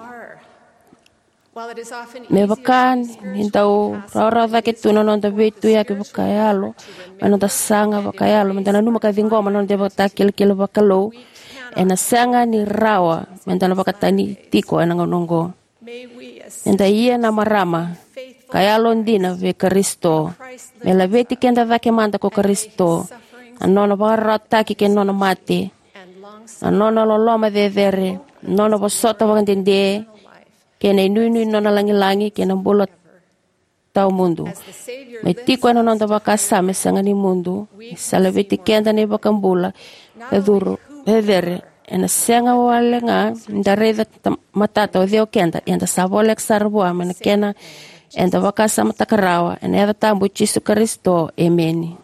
Me vaka ni dau rawarawa cake tu na noda veituyaki vakayalo, me noda saga vakayalo me da nanuma ka ciqoma na noda ivakatakilakila vakalou, ena sega ni rawa me da na vakatani tiko ena gauna oqo. Me da ia na marama ka yalodina vei Karisito, me laveti keda cake mada ko Karisito, na nona vakararawataki kei na nona mate, na nona loloma cecere, na nona vosota vakadede, kei na inuinui ni nona lagilagi kei na bula tawamudu. Me tiko ena noda vakasama e sega ni mudu, sa laveti keda na iVakabula ka curu cecere. Ena sega wale ga ni da raica matata o cei o keda, ia da sa voleka sara vua mai na kena eda vakasamataka rawa. Ena yaca tabu i Jisu Karisito, emeni.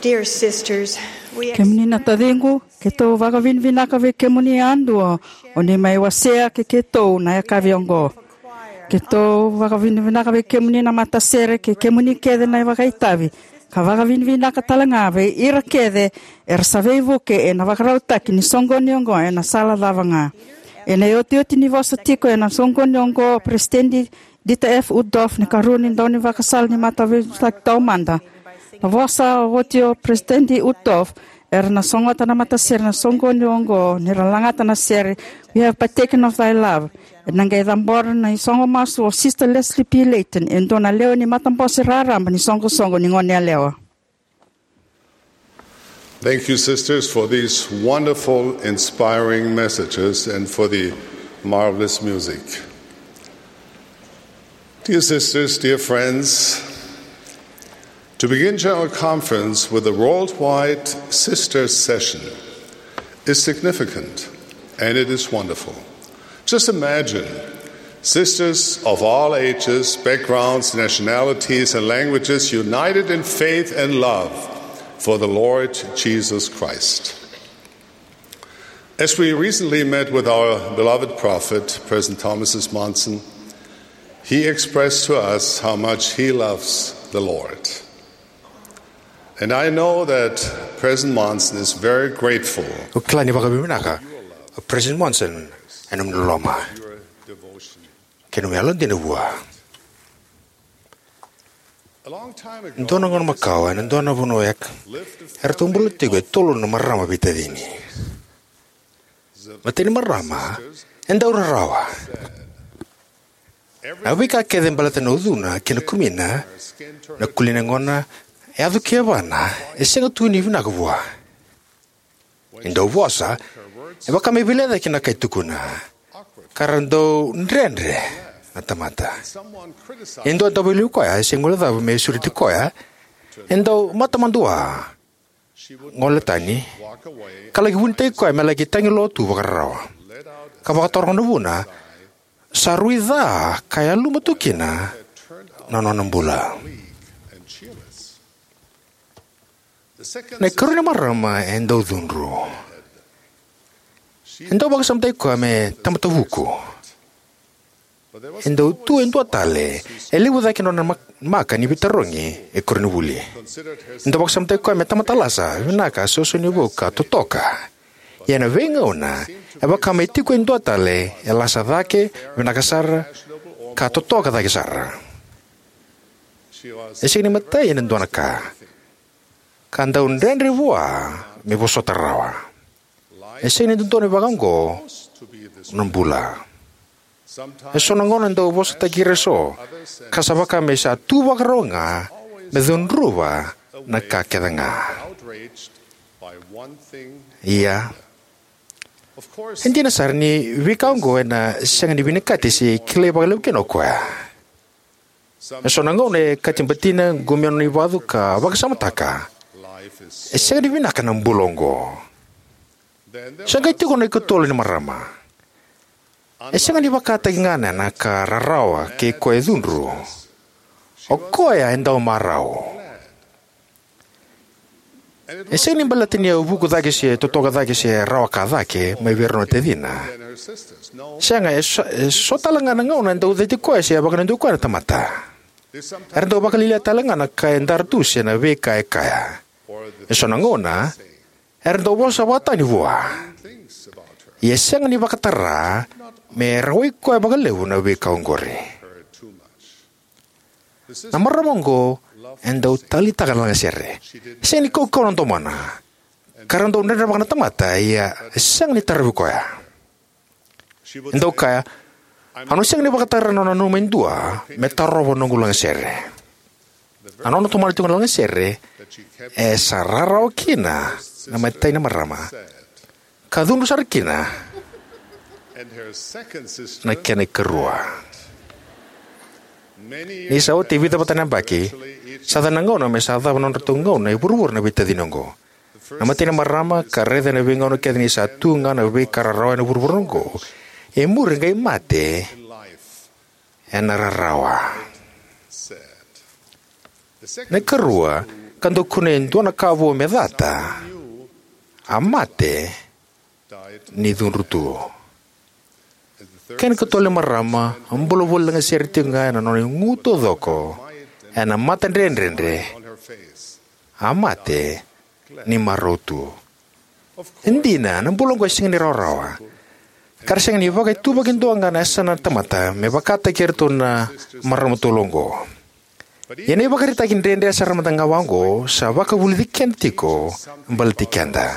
Dear sisters, we Kemuni na taciqu, keitou vakavinavinaka vei kemuni yadua o ni mai wasea kei keitou na yakavi oqo. Keitou vakavinavinaka vei kemuni na matasere kei kemuni kece na vakaitavi, ka vakavinavinaka tale ga vei ira kece era sa veivuke ena vakarautaki ni soqoni oqo ena sala cava ga. Ena iotioti ni vosa tiko ena soqoni oqo, Peresitedi Dieter F. Uchtdorf, na ikarua ni daunivakasala ni Mataveitaki Taumada, na vosa oti o Peresitedi Uchtdorf, era na sogota na matasere na soqoni oqo ni ra lagata na sere We Have Partaken of Thy Love. Ena qai cabora na isogo masu o Sister Leslie P. Layton, e dua na lewe ni matabose raraba ni soqosoqo ni goneyalewa. Thank you, sisters, for these wonderful, inspiring messages and for the marvelous music. Dear sisters, dear friends, to begin General Conference with the Worldwide Sisters Session is significant, and it is wonderful. Just imagine sisters of all ages, backgrounds, nationalities, and languages united in faith and love for the Lord Jesus Christ. As we recently met with our beloved prophet, President Thomas S. Monson, he expressed to us how much he loves the Lord. And I know that President Monson is very grateful. Au kila ni vakavinavinaka o President Monson ena nomu loloma kei na nomu yalodina vua. Dua na gauna makawa, ena dua na vanua e, eratou bula tiko e tolu na marama veitacini. Matai ni marama e dau rarawa. Na veika kece baleta na ucuna kei na kumina, na kulina gona, yaco ki yavana, e sega tu ni vinaka vua. E dau vosa, e vaka me vilai cake na ka e tukuna, ka ra dau dredre na tamata. E dua e dau vakaliu koya, e sega ni guilecava me sureti koya, e dau matamadua, gole tani, ka laki vunitaki koya me laki tagi lotu vakararawa, ka vakatoroko na vuna sa rui ca ka yaluma tu kina na nona bula. Na ikarua ni marama e dau cudru. E dau vakasamataki koya me tamata vuku. E dau tu e dua tale, e levu cake na nona mak-, maka ni veitarogi e koronivuli. E dau vakasamataki koya me tamata lasa, vinaka, soso ni vou ka totoka. Ia na veigauna, e vaka me tiko e dua tale, e lasa cake, vinaka sara, ka totoka cake sara. E sega ni matai ena dua na ka, ka dau dredre vua me vosota rawa. E sega ni dodonu vaka oqo na bula. E so na gauna e dau vosataki ira e so, ka sa vaka me sa tu vakarau ga me cudruva na ka kece ga. Ia, e dina sara ni veika oqo ena sega ni vinakati se kilai vakalevu kina o koya. E so na gauna e kati batina, qumia nona ivacu ka vakasamataka, e sega ni vinaka na bula oqo. Sa qai tiko na ikatolu ni marama. E sega ni vakataki ga na ka rarawa kei koya e cudru. O koya e dau marau. E sega ni baleta ni a vuku cake se totoka cake se rawa ka cake mai vei rau na tacina. Sega, e so, e so tale ga na gauna e dau cati koya se a vakadudui koya na tamata. Era dau vakalialia tale ga na ka e dara tu se na veika e kaya. E so na gauna era dau vosa vakatani vua. Ia e sega ni vakatara me rawai koya vakalevu na veika oqori. Na marama oqo e dau taleitaka na lagasere. Sega ni kaukauwa na domona. Ka ra dau dredrevaka na tamata, ia e sega ni tarovi koya. E dau kaya, au na sega ni vakatara na nona nanuma e dua me tarova na noqu lagasere. Na nona tomana tiko na lagasere, e sa rarawa kina na imatai ni marama. Ka cudru sara kina na kena ikarua. Ni sa oti e vica vata na yabaki, sa yaco na gauna me sa cava na nodratou gauna e vuravura na veitacini oqo. Na imatai ni marama ka raica ena veigauna kece ni sa tu ga na veika rarawa ena vuravura oqo, e muri qai mate ena rarawa. Na ikarua, ka dau kunea e dua na ka vou me cata, a mate ni cudru tu. Kena ikatolu ni marama, a bula voli lagasere tiko ga ena nona igu taucoko, ena mata dredredre, a mate ni marau tu. E dina, na bula oqo e sega ni rawarawa, ka ra sega ni vakaituvaki duadua ga na yasana na tamata me vakataki iratou na marama tolu oqo. Ia na ivakaraitaki dredre sara mada ga vaqo sa vakavulici keda tiko baleti keda.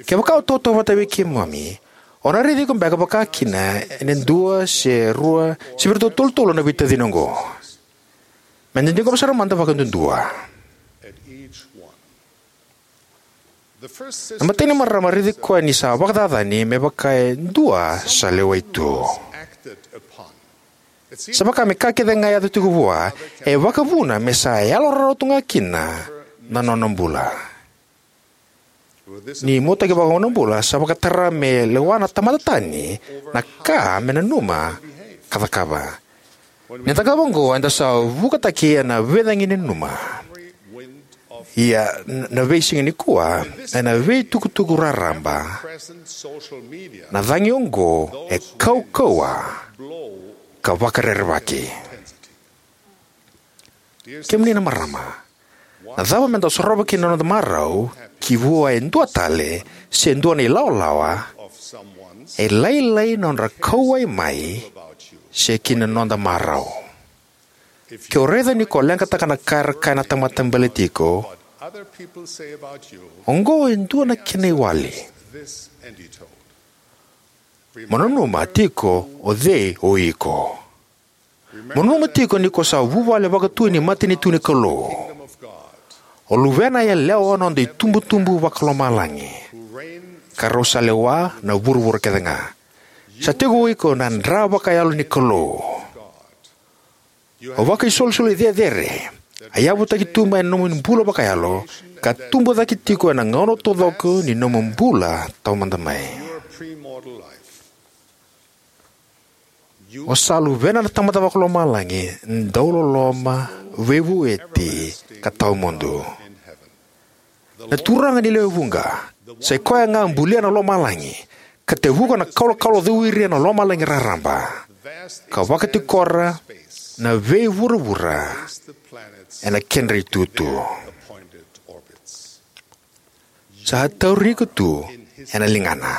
Kevaka o tautauvata vei keimami, o na raici iko beka vakakina ena dua se rua se vei iratou tolutolu na veitacini oqo. Meda ciqoma sara mada vakaduadua. Na imatai ni marama, raici koya ni sa vakacacani me vaka e dua sa lewai tu. Sa vaka me ka kece ga e yaco tiko vua e vakavuna me sa yalo rawarawa tu ga kina na nona bula. Ni muataki vakaoqo na bula, sa vakatara me lewa na tamata tani na ka me nanuma ka cakava. Ni da cakava oqo, eda sa vukataki ena veicagi ni nanuma. Ia, n-, na veisiga nikua, ena veitukutuku raraba, na cagi oqo e kaukauwa ka vakarerevaki. Kemuni na marama, na cava meda sorova kina na noda marau ki vua e dua tale se dua na ilawalawa e lailai na nodra kauwai mai se ki na noda marau? Ke o raica ni ko leqataka na ka era kaya na tamata baleti iko, oqo e dua na kena iwali. Mo nanuma tiko o cei o iko. Mo nanuma tiko ni ko sa vuvale vakatui ni matanitu ni Kalou. O luvena yalewa na noda itubutubu vakalomalagi, ka rau sa lewa na vuravura kece ga. Sa tiko o iko na dra vakayalo ni Kalou. O vakaisolisoli cecere a yavutaki tu mai na nomu bula vakayalo, ka tubu cake tiko ena gauna taucoko ni nomu bula taumada mai. O sa luvena na Tamada Vakalomalagi, dauloloma, veivueti, ka tawamudu. Na Turaga ni lewe vuqa, sa i koya ga bulia na lomalagi, ka tevuka na kalokalo cowiri ena lomalagi raraba, ka vakatikora na veivuravura ena kedra itutu. Sa tauri iko tu ena ligana.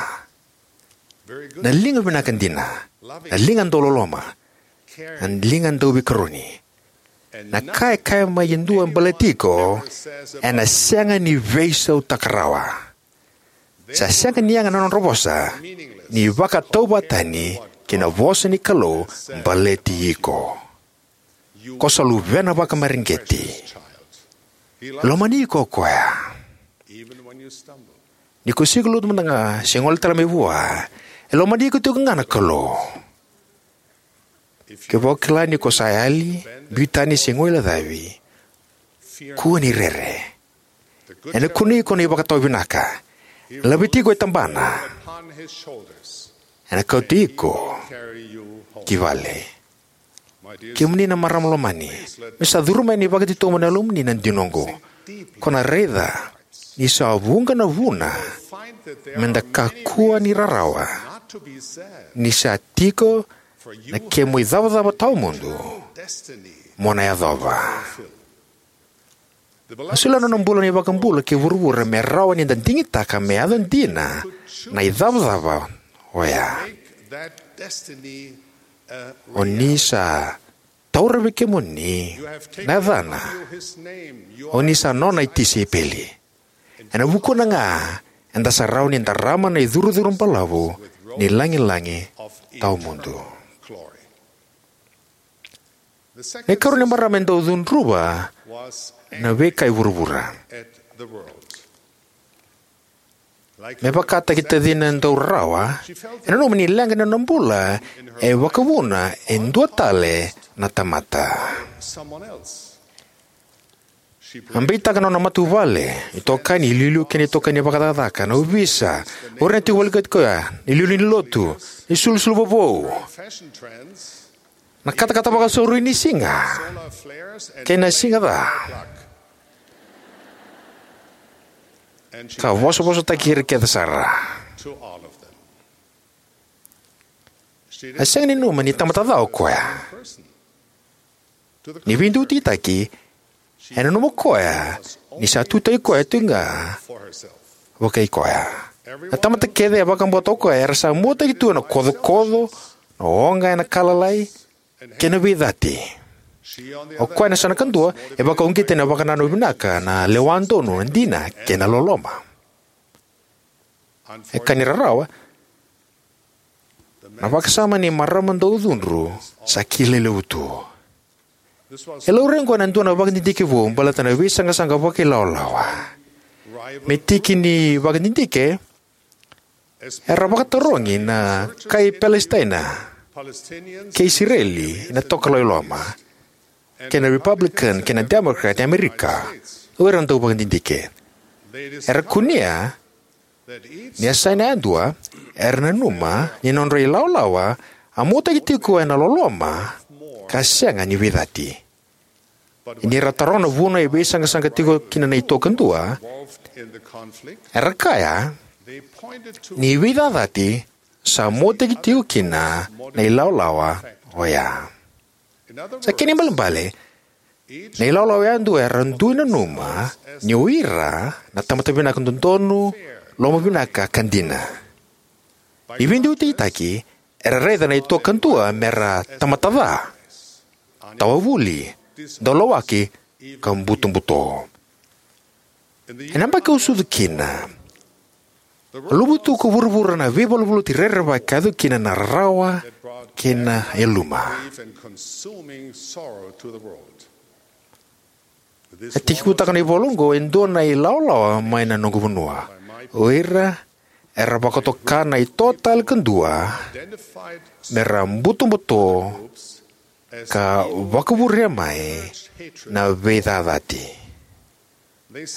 Na liga vinaka dina, na liga dauloloma, na liga dauveikaroni. Na ka e kaya mai e dua baleti iko, ena sega ni veisautaka rawa. Sa sega ni yaga na nodra vosa, ni vakatauvatani kei na vosa ni Kalou baleti iko. Ko sa luvena vakamareqeti. Lomani iko o koya. Ni ko sega ni lotu mada ga se gole tale mai vua, e lomani iko tiko ga na Kalou. Kevaka o kila ni ko sa yali, biu tani se guilecavi, kua ni rere. Ena kunei iko na ivakatawa vinaka. Ena laveti iko e tabana. Ena kauti iko ki vale. Kemuni na marama lomani, me sa curuma yani vakatitobu na yalomuni na dina oqo. Ko na raica ni sa vuqa na vuna meda kakua ni rarawa, ni sa tiko na kemu icavacava tawamudu mo na yacova. A solia na nona bula na iVakabula ki vuravura me rawa ni da digitaka me yaco dina na icavacava oya. O ni sa taura vei kemuni na yacana. O ni sa nona itisaipeli. Ena vukuna ga eda sa rawa ni darama na icurucuru balavu ni lagilagi tawamudu. Na ikarua ni marama e dau cudruva na veika e vuravura. Me vakataki tacina e dau rarawa, e nanuma ni leqa ni nona bula e vakavuna e dua tale na tamata. A beitaka na nona matavuvale, itokani, iliuliu kei na itokani vakacakacaka, na ovisa, o ira na tiko volekati koya, na iliuliu ni lotu, na isulusulu vovou, na katakata vakasauri ni siga kei na siga ca. ka vosavosataki ira kece sara. A sega ni nanuma ni tamata ca o koya. Ni veiduiduitaki, e nanuma o koya ni sa tutaki koya tiko ga vakai koya. Na tamata kece e vakabauta o koya era sa muataki tu ena kocokoco, na oga ena ka lalai, kei na veicati. O koya na yasana kadua e vakauqeti ena vakanananu vinaka, na lewa donu, na dina, kei na loloma. E ka ni rarawa, na vakasama ni marama dau cudru sa kilai levu tu. E laurai oqo ena dua na vakadidike vou baleta na veisaqasaqa vakailawalawa. Me tiki ni vakadidike, era vakatarogi na kai Palesitaina kei Isireli ena tokalau i loma, kei na Republican kei na Democrat e Amerika, o ira na dau vakadidike. Era kunea ni yasana yadua era nanuma ni nodra ilawalawa a muataki tiko ena loloma ka sega ni veicati. Ni ra taroga na vuna e veisaqasaqa tiko kina na ito kadua, era kaya ni veicacati sa muataki tiko kina na ilawalawa oya. Sa kena ibalebale, na ilawalawa yadua era dui nanuma ni o ira na tamata vinaka dodonu, lomavinaka ka dina. Ni veiduiduitaki, era raica na ito kadua me ra tamata ca, tawavuli, daulawaki, ka butobuto. Ena yabaki au sucu kina, a luvutu ko vuravura na veivaluvaluti rerevaki ka yaco kina na rarawa kei na yaluma. E tekivutaka na ivola oqo e dua na ilawalawa mai na noqu vanua. O ira era vakatoka na ito tale kadua me ra butobuto ka vakavurea mai na veicacati.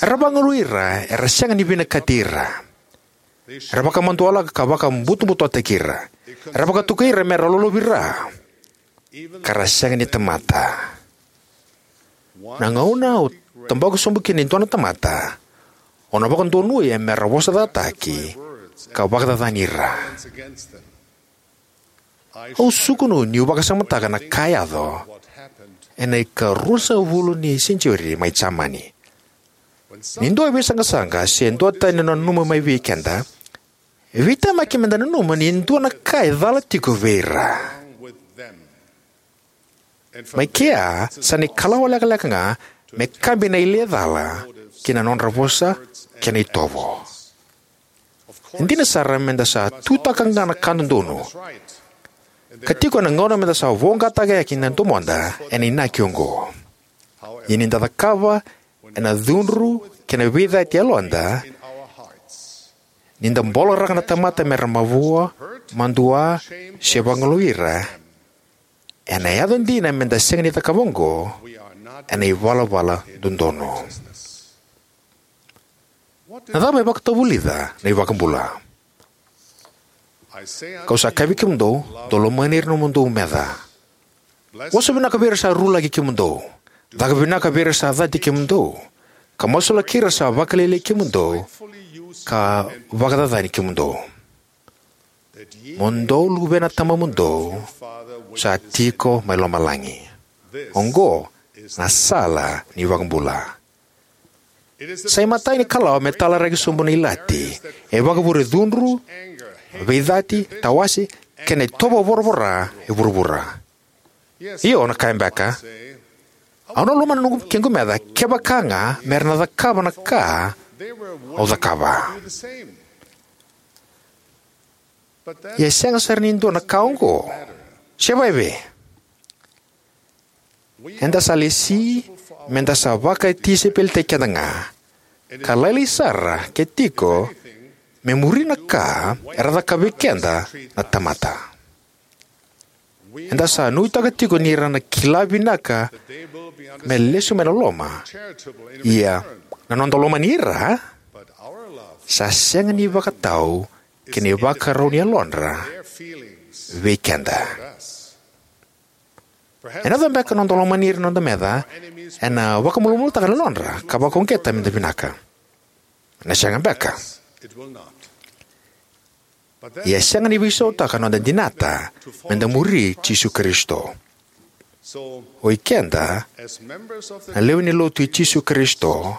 Era vagalui ira era sega ni vinakati ira. Era vakamadualaka ka vakabutobutotaki ira. Era vakatokai ira me ra lolovira, ka ra sega ni tamata. Na gauna o tabaka sobu kina e dua na tamata, o na vakadonuya me ra vosacataki ka vakacacani ira. Au sukunu niu vakasamataka na ka e yaco ena ikaruasagavulu ni senitiuri mai Jamani. Ni dua e veisaqasaqa se duatani na nanuma mai vei keda, e veitemaki meda nanuma ni dua na ka e cala tiko vei ira. Mai kea sa na ikalawa lekaleka ga me kabi na ile cala ki na nodra vosa kei na itovo. E dina sara meda sa tutaka ga na ka dodonu, ka tiko na gauna meda sa voqataka yani na domoda ena inaki oqo. Ia ni da cakava ena cudru kei na veicati e yaloda, ni da boloraka na tamata mera mavoa, madua, se vagalui ira, ena yaco dina meda sega ni cakava oqo ena ivalavala dodonu. Na cava e vakatavulica na iVakabula? Kau sa kaya vei kemudou, dou lomani ira na nomudou meca. Vosa vinaka vei ira sa rulaki kemudou. Caka vinaka vei ira sa cati kemudou, ka masulaki ira sa vakalailai kemudou ka vakacacani kemudou, mo dou luvena Tamamudou sa tiko mai lomalagi. Oqo na sala ni iVakabula. Sa imatai ni kalawa me talaraki sobu na ilati e vakavure cudru, veicati, tawase, kei na itovo voravora e vuravura. Io, o na kaya beka, au na lomana noqu, kequ meca kevaka ga mera na cakava na ka au cakava. Ia e sega sara ni dua na ka oqo. Se vakaevei? Eda sa lesi meda sa vakatisaipelitaki keda ga, ka lailai sara ke tiko me muri na ka era cakava vei keda na tamata. Eda sa nuitaka tiko ni ra na kila vinaka me lesu mai na loloma. Ia na noda lomani ira sa sega ni vakatau kei na ivakarau ni yalodra vei keda. Ena yaco beka na noda lomani ira na noda meca ena vakamalumalumutaka na yalodra ka vakauqeta meda vinaka. Na sega beka. Ia e sega ni veisautaka na noda dinata meda muri Jisu Karisito. O ikeda na lewe ni lotu i Jisu Karisito,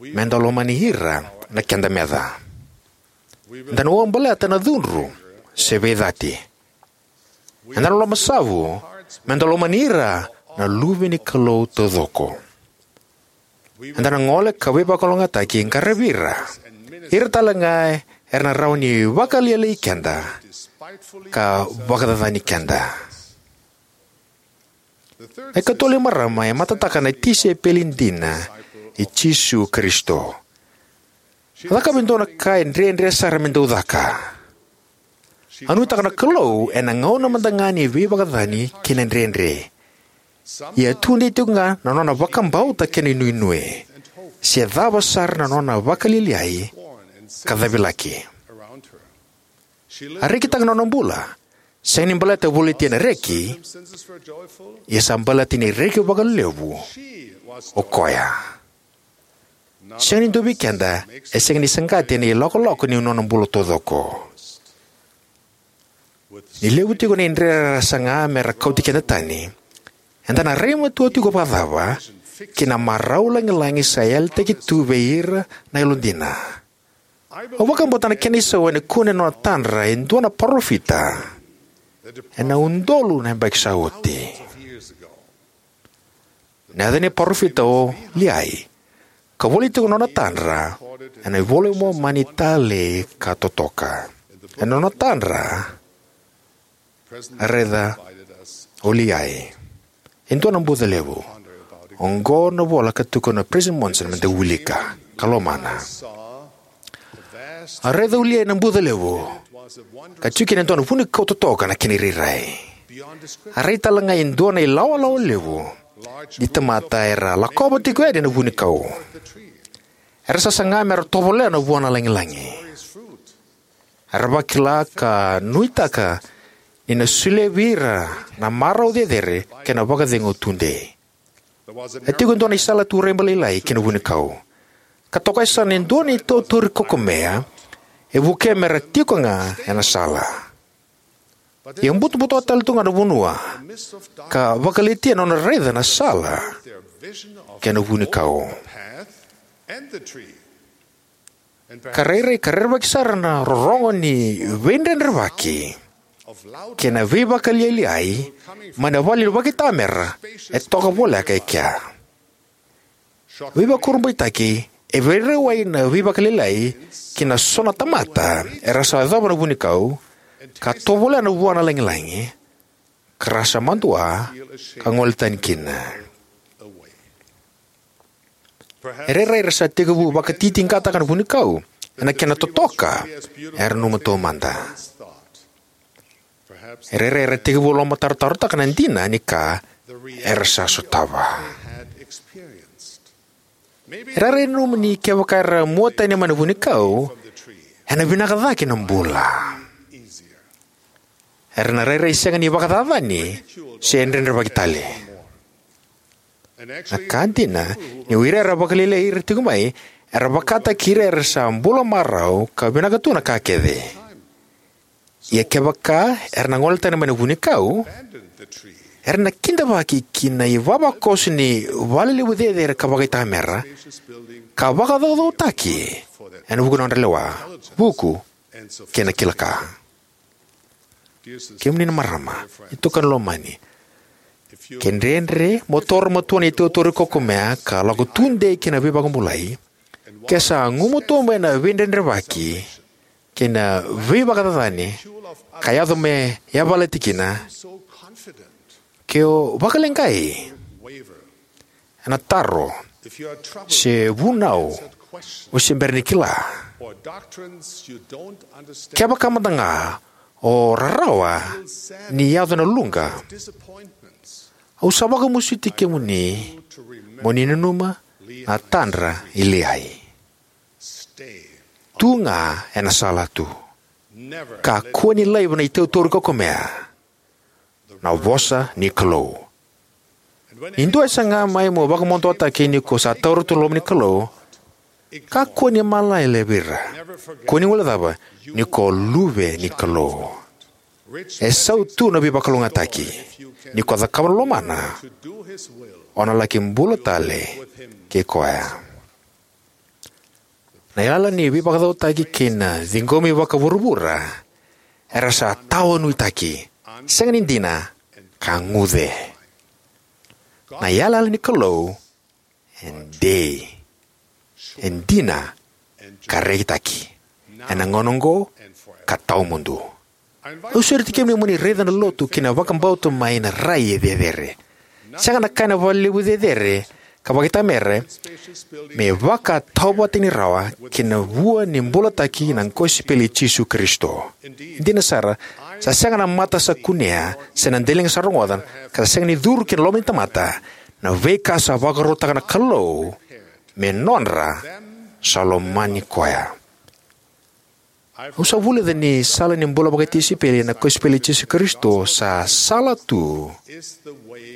meda lomani ira na keda meca. Eda na uabaleta na cudru se veicati. Eda na lomasavu meda lomani ira na luve ni Kalou taucoko. Eda na gole ka veivakalougatataki, qaravi ira, ira tale ga era na rawa ni vakalialiai keda ka vakacacani keda. Na ikatolu ni marama e matataka na tisaipeli dina i Jisu Karisito. A cakava e dua na ka e dredre sara me dau caka. A nuitaka na Kalou ena gauna mada ga ni veivakacacani kei na dredre. Ia a tudei tiko ga na nona vakabauta kei na inuinui, se cava sara na nona vakalialiai ka cavilaki. A rekitaka na nona bula, sega ni baleta voliti ena reki, ia sa baleta ni reki vakalevu o koya. Sega ni dua vei keda e sega ni saqati ena ilakolako ni nona bula taucoko. Ni levu tiko na idredre era saga me ra kauti keda tani, eda na rai matua tiko vakacava ki na marau lagilagi sa yalataki tu vei ira na yalodina? Au vakabauta na kena isau ena kune na nona tadra e dua na parofita ena udolu na yabaki sa oti. Na yaca ni parofita o Liai, ka voli tiko na nona tadra ena iVola i Momani talei ka totoka. Ena nona tadra, a raica o Liai e dua na buca levu. Oqo na vola ka tukuna o President Monson meda wilika ka lomana. A raica o Liai na buca levu, ka tiko kina e dua na vunikau totoka na kena irairai. A rai tale ga e dua na ilawalawa levu ni tamata era lakova tiko yani na vunikau. Era sa saga me ra tovolea na vua na lagilagi. Era vakila ka nuitaka ni na solia vei ira na marau cecere kei na vakacegu tudei. E tiko e dua na isala tu raiba lailai ki na vunikau, ka toka e sa na e dua na itautori kokomea e vukea me ra tiko ga ena sala. Ia butobuto tale tu ga na vanua, ka vakalitia na nona raica na sala kei na vunikau. Ka rairai ka rerevaki sara na rorogo ni veidredrevaki kei na veivakalialiai mai na vale ni vakaitamera e toka voleka e kea. Veivakurabuitaki, e veirauwai na veivakalialiai ki na so na tamata era sa yacova na vunikau ka tovolea na vua na lagilagi, ka ra sa madua ka gole tani kina. E rairai era sa tekivu vakatitiqataka na vunikau ena kena totoka era nanuma taumada. E rairai era tekivu lomatarotarotaka na dina ni ka era sa sotava. E rairai nanuma ni kevaka era mua tani mai na vunikau, ena vinaka cake na bula. Era na rairai sega ni vakacacani se dredrevaki tale. Na ka dina, ni o ira era vakalialiai ira tiko mai, era vakataki ira era sa bula marau ka vinaka tu na ka kece. Ia kevaka era na gole tani mai na vunikau, era na kidavaki ki na ivavakoso ni vale levu cecere ka vakaitamera, ka vakacaucautaki ena vuku ni nodra lewa, vuku, kei na kila ka. Kemuni na marama, itokani lomani, ke dredre mo toro matua na itautori kokomea ka lako tudei ki na veivakabulai, ke sa gumatua mai na veidredrevaki kei na veivakacacani ka yaco me yavalati kina, ke o vakaleqai ena taro se vunau o se bera ni kila, kevaka mada ga o rarawa ni yaco na luqa, au sa vakamasuti kemuni mo ni nanuma na tadra i Liai. Tu ga ena sala tu. Kakua ni laiva na itautauri kokomea, na vosa ni Kalou. Ni dua e saga mai mo vakamaduataki ni ko sa taura tu na loma ni Kalou, Kakua ni malele vei ira. Kua ni guilecava ni ko luve ni Kalou. E sautu na veivakalougatataki ni ko cakava na lomana. O na laki bula tale kei koya. Na yalayala ni veivakacautaki kei na ciqomi vakavuravura era sa tawanuitaki, sega ni dina, ka guce. Na yalayala ni Kalou e dei, e dina, ka rekitaki ena gauna oqo ka tawamudu. Au sureti kemuni mo ni raica na lotu kei na vakabauta mai na rai e cecere. Sega na ka ena vakalevu cecere ka vakaitamera me vakatauvatani rawa ki na vua ni bulataki na kosipeli i Jisu Karisito. Dina sara, sa sega na mata sa kunea se na daliga sa rogoca, ka sa sega ni curu ki na loma ni tamata na veika sa vakarautaka na Kalou me nodra sa lomani koya. Au sa vulica ni sala ni bula vakatisaipeli ena kosipeli i Jisu Karisito sa sala tu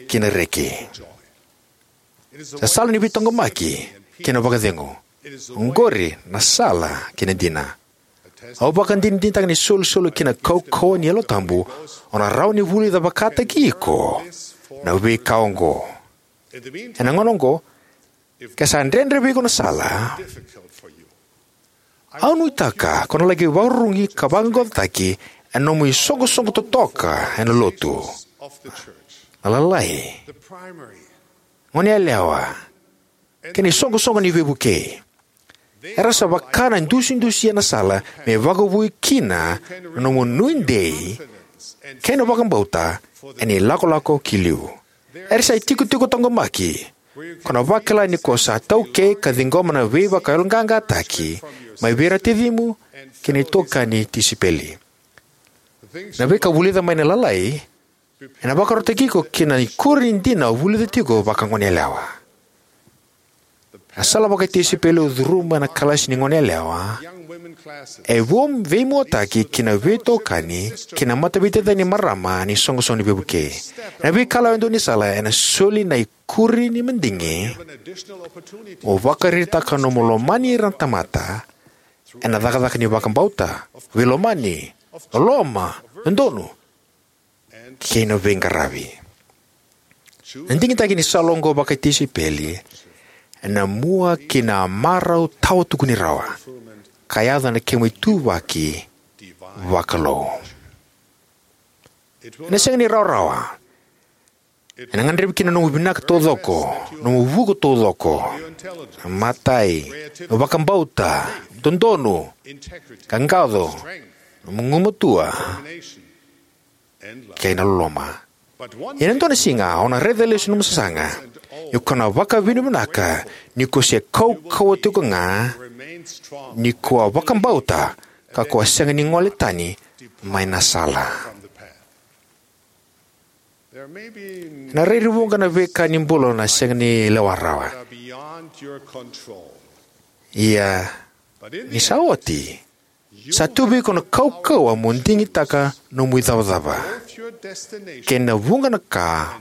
ki na reki. Sa sala ni veitaqomaki kei na vakacegu. Oqori na sala ki na dina. Au vakadinadinataka ni solisoli ki na kaukauwa ni Yalo Tabu o na rawa ni vulica vakataki iko na veika oqo. Ena gauna oqo, ke sa dredre vei iko na sala, au nuitaka ko na laki vakarurugi ka vaqaqacotaki ena nomu isoqosoqo totoka ena lotu, na lalai, goneyalewa, kei na isoqosoqo ni veivukei. Era sa vaka na idusidusi ena sala me vakavoui kina na nomu nuidei kei na vakabauta ena ilakolako ki liu. Era sa itikotiko taqomaki. Ko na vakila ni ko sa taukei ka ciqoma na veivakayaloqaqataki mai vei ira na tacimu kei na itokani tisaipeli. Na veika vulica mai na lalai ena vakarautaki iko ki na ikuri ni dina o vulica tiko vakagoneyalewa. Na sala vakatisaipeli o curuma ena kalasi ni goneyalewa e veimuataki ki na veitokani kei na mataveitacini ni marama ni isoqosoqo ni veivukei. Ena veikalawa e dua ni sala ena soli na ikuri ni madigi mo vakaraitaka nomu lomani ira na tamata ena cakacaka ni vakabauta, veilomani, loloma, dodonu, kei na veiqaravi. Na digitaki ni sala oqo vakatisaipeli ena mua ki na marau tawa tukuni rawa ka yaco ena kemu ituvaki vakalou. Ena sega ni rawarawa. Ena gadrevi kina nomu vinaka taucoko, nomu vuku taucoko, na matai, nomu vakabauta, dodonu, qaqaco, nomu gugumatua, kei na loloma. Ia ena dua na siga o na raica lesu nomu sasaga, ia ko na vakavinavinaka ni ko se kaukauwa tiko ga, ni ko a vakabauta, ka ko a sega ni gole tani mai na sala. Ena rairai vuqa na veika ni bula o na sega ni lewa rawa. Ia ni sa oti, sa tu vei iko na kaukauwa mo digitaka nomu icavacava kei na vuqa na ka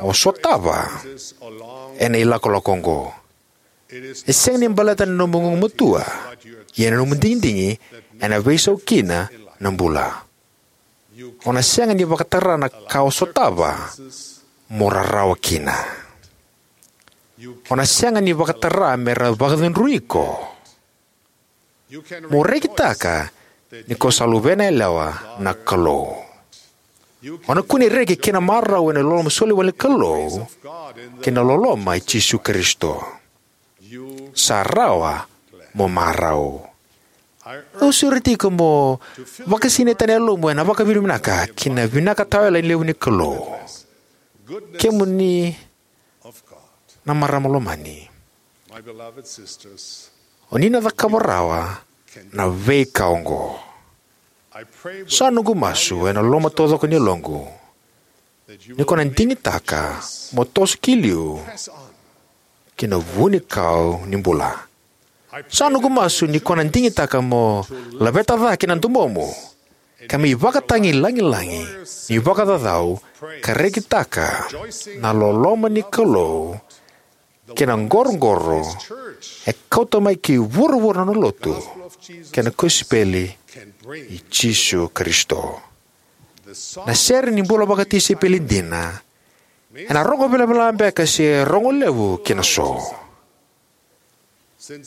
o sotava ena ilakolako oqo. E sega ni baleta na nomu gugumatua, ia na nomu digidigi ena veisau kina na bula. O na sega ni vakatara na ka o sotava mo rarawa kina. O na sega ni vakatara me ra vakacudrui iko. Mo rekitaka ni ko sa luvena yalewa na Kalou. O na kune reki kei na marau ena loloma soli wale ni Kalou kei na loloma i Jisu Karisito. Sa rawa mo marau. Au sureti iko mo vakasinaita na yalomu ena vakavinavinaka ki na vinaka tawayalani levu ni Kalou. Kemuni na marama lomani, o ni na cakava rawa na veika oqo. Sa noqu masu ena loma taucoko ni yaloqu ni ko na digitaka mo toso ki liu ki na vunikau ni bula. Sa noqu masu ni ko na digitaka mo laveta cake na domomu ka mai vakatagilagilagi ni vakacaucau ka rekitaka na loloma ni Kalou kei na qoroqoro e kauta mai ki vuravura na lotu kei na kosipeli i Jisu Karisito. Na sere ni bula vakatisaipeli dina ena rogo velavela beka se rogo levu ki na so.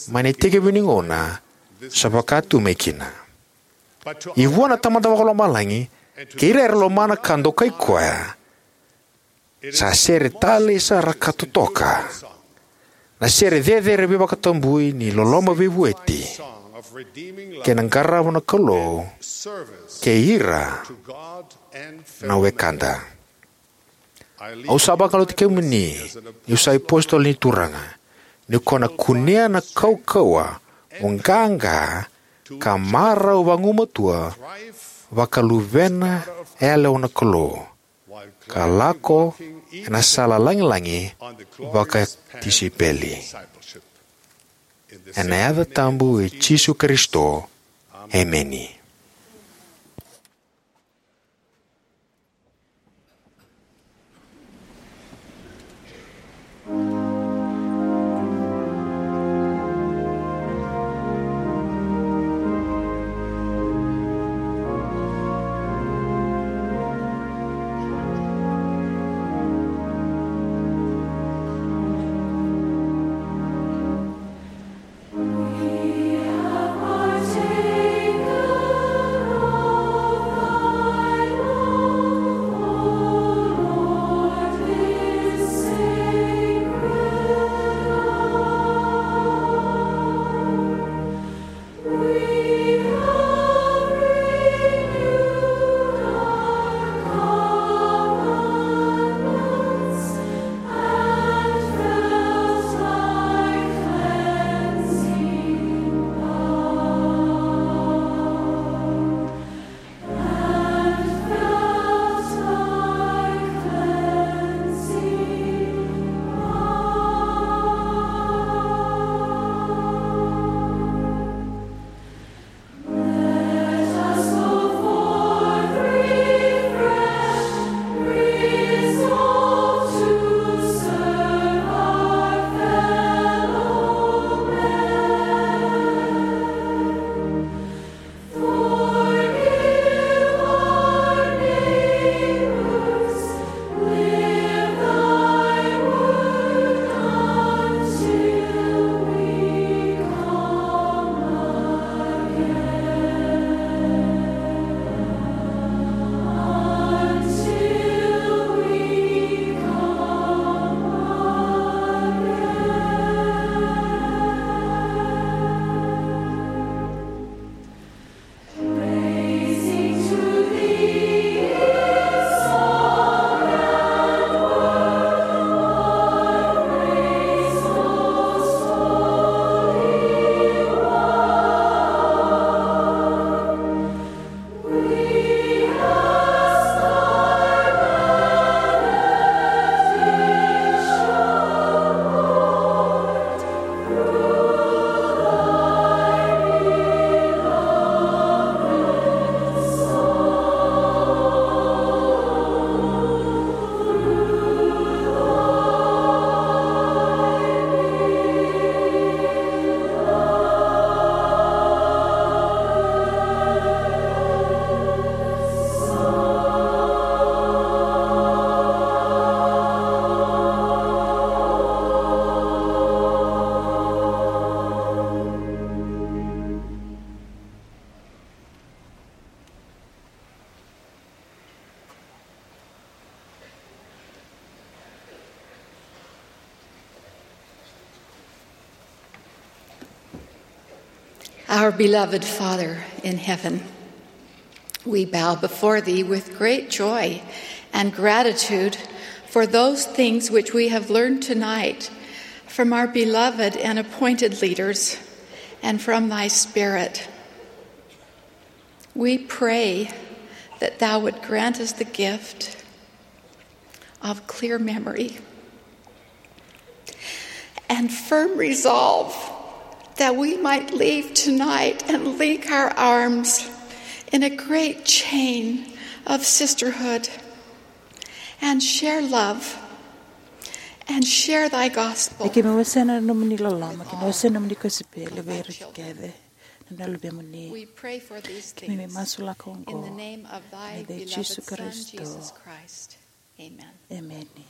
Mai na itekivu ni gauna sa vaka tu mai kina. I vua na Tamada Vakalomalagi kei ira era lomana ka dokai koya, sa sere talei sara ka totoka. Na sere cecere veivakatabui ni loloma veivueti kei na qarava na Kalou kei ira na wekada. Au sa vakaloti kemuni niu sa ipositolo ni Turaga, ni ko na kunea na kaukauwa mo qaqa ka marau vagumatua vaka luvena yalewa na Kalou, ka lako ena sala lagilagi vakatisaipeli. Ena yaca tabu i Jisu Karisito, emeni. Our beloved Father in heaven, we bow before thee with great joy and gratitude for those things which we have learned tonight from our beloved and appointed leaders and from thy Spirit. We pray that thou would grant us the gift of clear memory and firm resolve that we might leave tonight and link our arms in a great chain of sisterhood and share love and share thy gospel. E keimami wasea na nomuni loloma kei na wasea na nomuni kosipeli vei ira kece na luvemuni. We pray for these things. Keimami masulaka oqo in the name of thy beloved Son, Jesus Christ. Amen. Emeni.